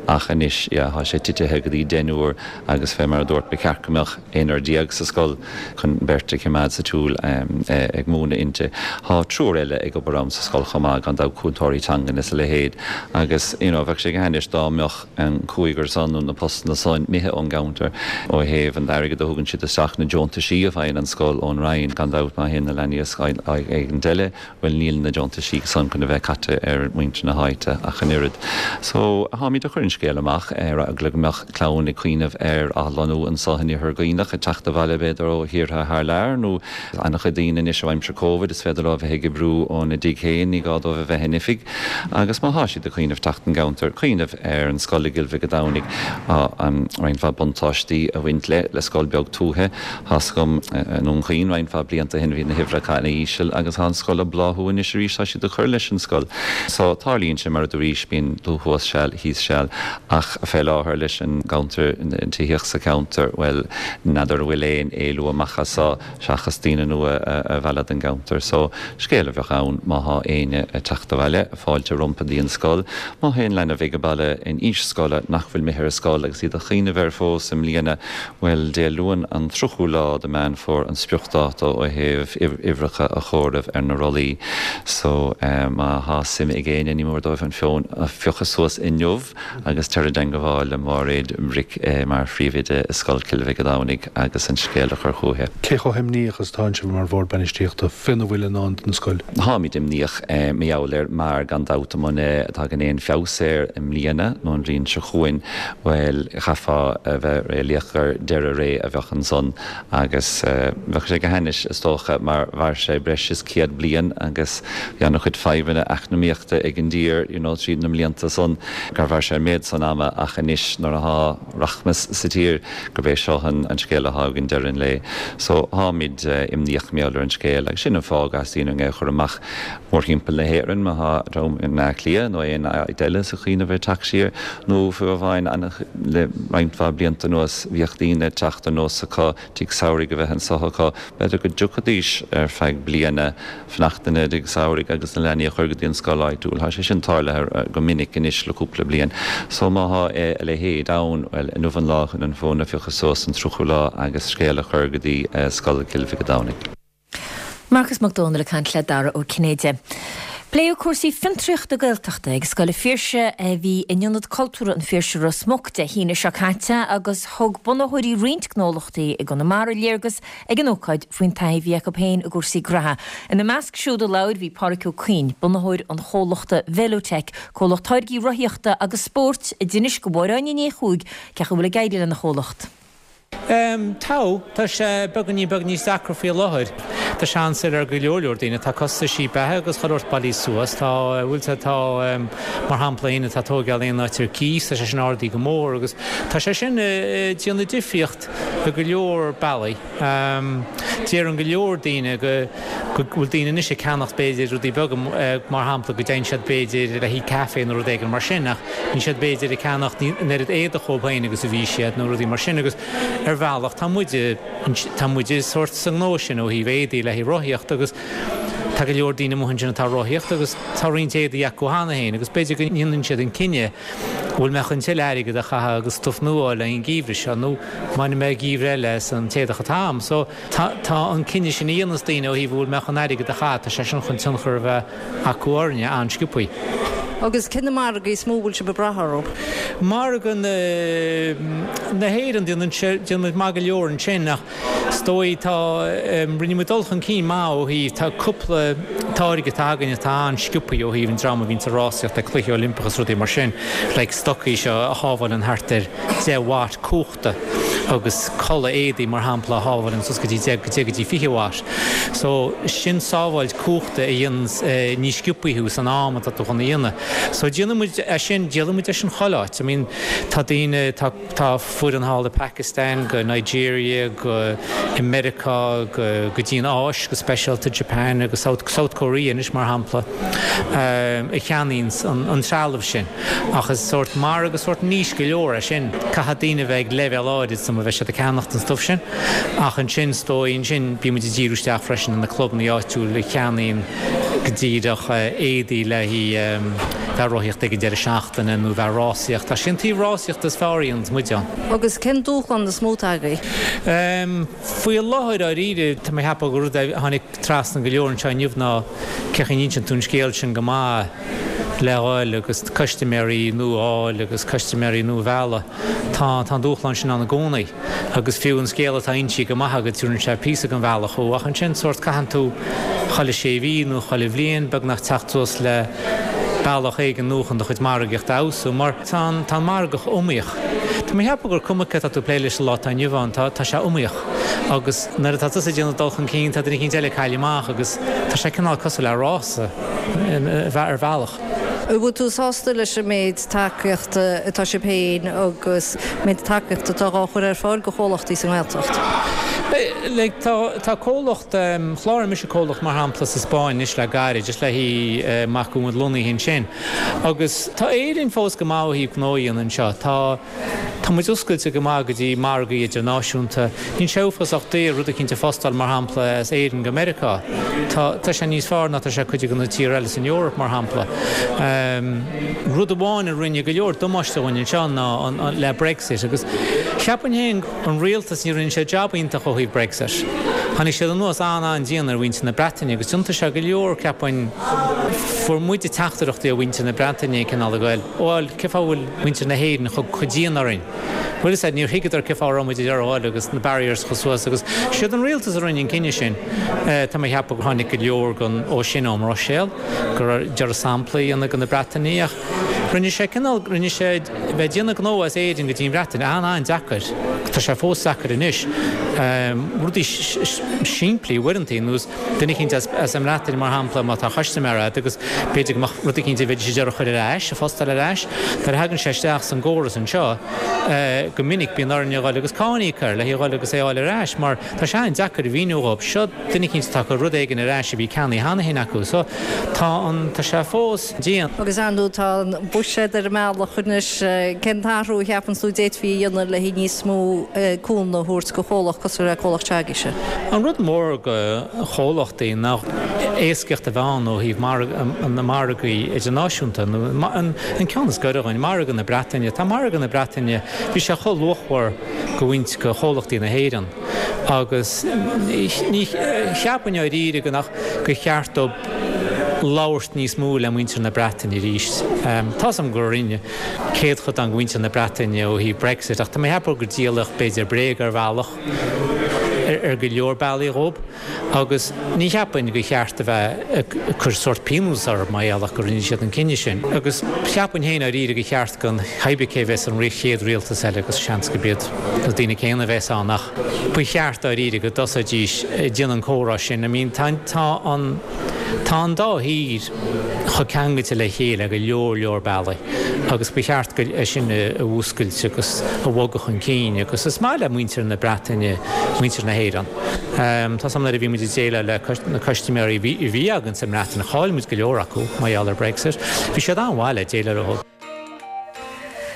ach anois yeah tá sé titithe go dtí deichniúr. deichniúr agus fé mar a dúirt ba cheart go mbeadh aonrar déag sa scoil chun beirt a chimeád sa tsiúl ag múineadh inti. Tá triúr eile ag obair ann sa scoil chomh maith, gan dabht cúntóirí teangan is a leithéid agus you know bheadh sé go hainnis dá mbeadh an cúigear san nó na postanna san imithe ón gceantar ó thaobh an airgid a thugann siad isteach, na deontaisí a bhfaigheann an scoil ón Roinn. Gan dabht má théann na leanaí ar scoil éigint eile, bhuel níl na deontaisí san chun a bheith caite ar mhuintir na háite ach an oiread. So, táimid ag cur an scéal amach ar eagla go mbeadh clann ag cuimhneamh ar athlonnú anso in Iarthar Dhuibhneach, ag teacht abhaile b'fhéidir ó thíortha thar lear nó an-chuid daoine anois ó aimsir Covid is féidir leo a bheith ag oibriú óna dtigh féin, ní gá dóibh a bheith in oifig. Agus má thá siad ag cuimhneamh teacht don gceantar, cuimhneamh ar an scoil i gCill Mhic a' Domhnaigh, tá roinnt mhaith buntáistí ag baint le, le scoil beag tuaithe. Tá's agam i nDún Chaoin roinnt mhaith blianta ó shin bhí na huimhreacha ana-íseal agus tá an scoil ag bláthú anois arís, tá siad ag cur leis an scoil. So tarlaíonn sé mar a dúraís, bíonn tú thuas seal, thíos seal ach fé láthair leis an gceantar, an tithíocht sa cheantar, bhuel n'fheadar an bhfuil aon éalú amach as so seachas daoine nua a mhealladh don gceantar. So scéal a bheadh ann má thá éinne ag teacht abhaile, fáilte rompu dtí an scoil. Má thá aon leanbh ag an baile in aois scoile nach bhfuil imithe ar scoil agus iad ag cuimhneamh air fós i mbliana, Bhuel, Dé Luain an 30ú lá de Meán Fómhair an spriocdháta ó thaobh uimhreacha a chomhaireamh ar na rollaí. So, má thá suim ag éinne, ní mór dóibh an fón a phiocadh suas inniu agus tar i dteangabháil le Máiréad Bric mar phríomhoide i Scoil Chill Mhic a' Domhnaigh agus an scéal a chur chúithi. Cé chomh himníoch is atánn sibh mar Bhord Bainistíochta féna bhfuil i ndán don scoil? Táimid imníoch mar gheall air mar gan dabht muna dtagann aon feabhas air i mbliana nó an bhliain seo chugainn, Bhuel, chaithfeá a bheith réalaíoch gur deireadh ré a bheadh ansan agus bheadh sé go hainnis, is dócha, mar mhair sé breis is 100 bliain agus bhí an-chuid fadhbanna eacnamaíochta ag an dtír, you know, tríd na mblianta san, gur mhair sé an méid san ama ach anois nuair athá rachmas sa tír, gurb é seo an scéal athá againn deireadh an lae. So, táimid imníoch mar gheall ar an scéal agus sin an fáth go dteastaíonn uainn é a chur amach. Mórthimpeall na hÉireann, má thá dream i mBleá Cliath nó aon áit eile ag cuimhneamh ar teacht siar, nó fiú amháin le roinnt mhaith blianta anuas bhíodh daoine ag teacht ar nós acu tigh samhraidh a bheith anso acu, b'fhéidir go dtiocfaidís ar feadh bliana fanacht ina dtigh samhraidh agus na leanaí a chur go dtí an scoil áitiúil. Thá sé sin tarlaithe go minic anois le cúpla bliain. So má thá a leithéid ann, bhuel, inniu an lá chun an fón a phiocadh suas, an 30ú lá agus scéal a chur go dtí Scoil Chill Mhic a' Domhnaigh. Marcas Mac Dónaill ag caint le Dara Ó Cinnéide. Pléadh cúrsaí fiontraíochta Gaeltachta ag Scoil an Phiarsaigh a bhí in Ionad Cultúrtha an Phiarsaigh Ros Muc Dé hAoine seo caite agus thug bunaitheoirí roinnt gnólachtaí i gConamara léargas ag an ócáid faoin taithí a bhí acu féin i gcúrsaí graithe. Ina measc siúd a labhair bhí Pádhraic Ó Cuinn, bunaitheoir an chomhlachta Velotech, comhlacht táirgí rothaíochta agus spóirt, a d'inis do Mháire Áine Ní Chuaig cén chaoi a bhfuil ag éirí lena chomhlacht. Tá. Tá sé beagáinín beag níos deacra faoi láthair. Tá sé an-saor ar go leor leor daoine. Tá costaisí beatha agus chuile shórt bailithe suas. Tá, bhfuil sé, tá, mar shampla, éinne atá ag tóigeáil aon áit ar cíos, tá sé sin ardaithe go mór agus tá sé sin ag déanamh difríocht i go leor bealaí. Deireann go leor daoine go go bhfuil daoine anois ag ceannacht b'fhéidir rudaí beaga, mar shampla go dtéann siad b'fhéidir le haghaidh caife nó rud éigin mar sin ach Níl siad b'fhéidir ag ceannacht an oiread éadach dhóibh féin agus a bhí siad nó rudaí mar sin agus ar bhealach tá muide, tá muide sórt sa ngnó sin ó thaobh éadaí le haghaidh rothaíocht agus tá go leor daoine amuigh ansin atá ag rothaíocht agus tá roinnt éadaí acu cheana féin agus b'fhéidir go ndéanann siad an cinneadh an bhfuil mé chun tuilleadh airgead a chaitheamh agus stuif nua a fháil le haghaidh an geimhreadh seo nó mbainfidh mé geimhreadh eile as an t-éadach atá a'm. So tá an cinneadh sin a dhéanas daoine ó thaobh an bhfuil mé chun airgead a chaitheamh, tá sé sin chun tionchar a bheith acu orainne an-sciobthaí. Agus cé na margaí is mó a bhfuil sibh ag brath orthu? Margadh na hÉireann, déanann sé, déanann muid maith go leor ansin ach is dóigh tá, rinne muid dul chun cinn maith ó thaobh, tá cúpla táirge atá againn atá an-sciobthaí ó thaobh an dream a bhíonns ag rásaíocht ag Cluichí Oilimpeacha is rudaí mar sin, like stocaí seo a shábháileann thart ar 10 watt cumhachta. agus culaith éadaí mar shampla a shábháileann suas go dtí 10 go dtí 20 watt. So sin sábháilt cumhachta a dhéananns níos sciobthaí thú san am atá tú chun a dhéanamh. So déanann muid é sin, díolann muid é sin chuile áit. I mean tá daoine, tá tá foireann thall i Pakistan, go Nigeria, go i Meiriceá, go go dtí an Áis go speisialta, Japan agus South South Korea anois mar shampla, a cheannaíonns an an trealamh sin. Ach is sórt margadh sórt niche go leor é sin. Caithfidh daoine a bheith ag leibhéal áirid suma bheidh siad ag ceannacht an stuif sin. Ach ansin, is dóigh, ansin bíonn muid ag díriú isteach freisin ar na clubanna áitiúil a cheannaíonn go díreach éadaí le haghaidh. bheith ag rothaíocht ag an deireadh seachtaine nó bheith ag rásaíocht. Tá sé an taobh rásaíochta is fearr a dhéananns muid ann. Agus cén dúshlán is mó atá agaibh? Faoi láthair, dáiríre, tá mé ag ceapadh gur rud a tháinig trasna go leor anseo inniu ná cén chaoi a n-insíonn tú an scéal sin go maith le dhul agus custaiméirí nua a fháil agus custaiméirí nua a mhealladh. Tá tá an dúshlán sin ann i gcónaí agus fiú an scéal atá insithe go maith agat tabharann sé píosa den bhealach thú ach ansin sórt caitheann tú chuile sé mhí nó chuile bhliain beagnach teacht suas le bealach éigin nua chun do chuid margaíochta a fheabhsú mar tá an tá an margadh iomaíoch. Tá mé ag ceapadh gur cuma cé atá tú ag plé leis sa lá atá inniu ann tá tá sé iomaíoch agus nuair atá tusa ag déanamh dul chun cinn tá duine eicínt eile ag cailleadh amach agus tá sé cineál cosúil le rása ar bhealach. An bhfuil tú sásta leis an méid tacaíochta atá sibh féin agus méid tacaíochta atá dhá chur ar fáil go chomhlachtaí sa nGaeltacht? Like tá tá comhlacht, chláraigh mise comhlacht mar shampla sa Spáinn anois le gairid, just le haghaidh amach go bhfuil muid lonnaithe ansin. Agus tá Éirinn fós go maith ó thaobh gnó a dhéanamh anseo. Tá. Tá muid oscailte go maith go dtí margaí idirnáisiúnta. Níl sé uafásach daor rud eicínt a phostáil, mar shampla, as Éirinn go Meiriceá. Tá, tá sé níos fearr ná tá sé cuid de na tíortha eile san Eoraip, mar shampla. Rud amháin a rinne go leor damáiste dhúinn anseo ná an, an, le Brexit agus cheapfainn féin an rialtas, ní rinne sé jab iontach ó thaobh Brexit. Tháinig siad anuas an-an-dian ar mhuintir na Breataine agus thiontaigh sé go leor, ceapfainn, fuair muide teachtaireachtaí ó mhuintir na Breataine cineál ag goil, bhuel, cén fáth a bhfuil muintir na hÉireann chomh dian orainn. Bhuel is ea, níor thuigeadar cén fáth a raibh muid ag iarraidh a ghoil agus na barriers a chur suas agus siad an rialtas a rinne an cinneadh sin. Tá mé ag ceapadh gur tháinig go leor den ó sin ón mBruiséil, go raibh deireadh sampla a dhéanamh de na Breatanaigh ach rinne sé cineál, rinne sé bheith ag déanamh gnó as Éirinn go dtí an Bhreatain an-an-deacair. Tá sé fós deacair anois. Rudaí simplí uaireanta, nós duine eicínt as an mBreatain, mar shampla, má tá custaiméir agat agus b'fhéidir go mbeadh rud eicínt a bheidís ag iarraidh a chur ar ais, a phostáil ar ais, nuair a thagann sé isteach san gcóras anseo, go minic bíonn orainn a dhul agus cáin a íoc air le haghaidh a dhul agus é a fháil ar ais mar tá sé an-deacair a mhíniú dhóibh, seo duine eicínt atá ag cur rud éigin ar ais a bhí ceannaithe cheana féin acu. So tá an, tá sé fós dian. Agus ar ndóigh tá an buiséad ar an mbealach anois, cén t-athrú a cheapann tú d'fhéadfaí a dhéanamh le haghaidh níos mó cúnamh a thabhairt do chomhlacht cosúil le comhlacht s'agaibhse? An rud mór do chomhlachtaí ná éascaíocht a bheith ann ó thaobh na margaí idirnáisiúnta, nó an ceann is gaire dhúinn, margadh na Breataine. Tá margadh na Breataine, bhí sé chomh luachmhar go bhaint do chomhlachtaí na hÉireann agus ní cheapfainn dháiríre go nach gur cheart dóibh labhairt níos mó le muintir na Breataine arís. Tá's agam gur rinne céadchodán de mhuintir na Breataine ó thaobh Brexit ach tá mé ag ceapadh gur díoladh b'fhéidir bréag ar bhealach ar go leor bealaí dhóibh agus ní cheapfainn gur cheart a bheith ag cur sórt pionós orthu mar gheall ach go rinne siad an cinneadh sin. Agus cheapfainn féin dháiríre gur cheart don cibé cé a bheas an chéad rialtas eile agus seans gurb iad na daoine céanna a bheas ann ach ba cheart dáiríre go dtosóidís ag déanamh an comhrá sin. I mean tá an tá an dá thír chomh ceangailte le chéile ar go leor leor bealaí agus ba cheart go é sin a mhúscailt agus a bhogadh chun cinn agus is maith le muintir na Breataine muintir na hÉireann. Tá's agam nuair a bhí muid ag déileáil le na custaiméirí a bhí againn sa mBreatain chaill muid go leor acu mar gheall ar Brexit. Bhí siad an-mhaith le déileáil leo.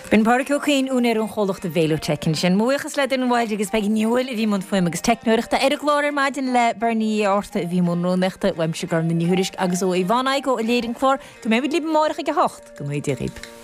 B'in Pádraic Ó Cuinn, úinéir an chomhlachta Velotech ansin. Mo bhuíochas le Doireann Wilde agus Peigí Ní Thuathail a bhí i mbun fuaime agus teicneoireachta ar an gclár ar maidin le Bernie Uí Fhátharta a bhí i mbun rúnaíochta, uaimse Gormfhlaith Ní Thuairisg agus ó Yvonne Igoe a léirigh an clár. Go mbeidh muid libh amárach ag a hocht. Go ngnóthaí Dia dhaoibh.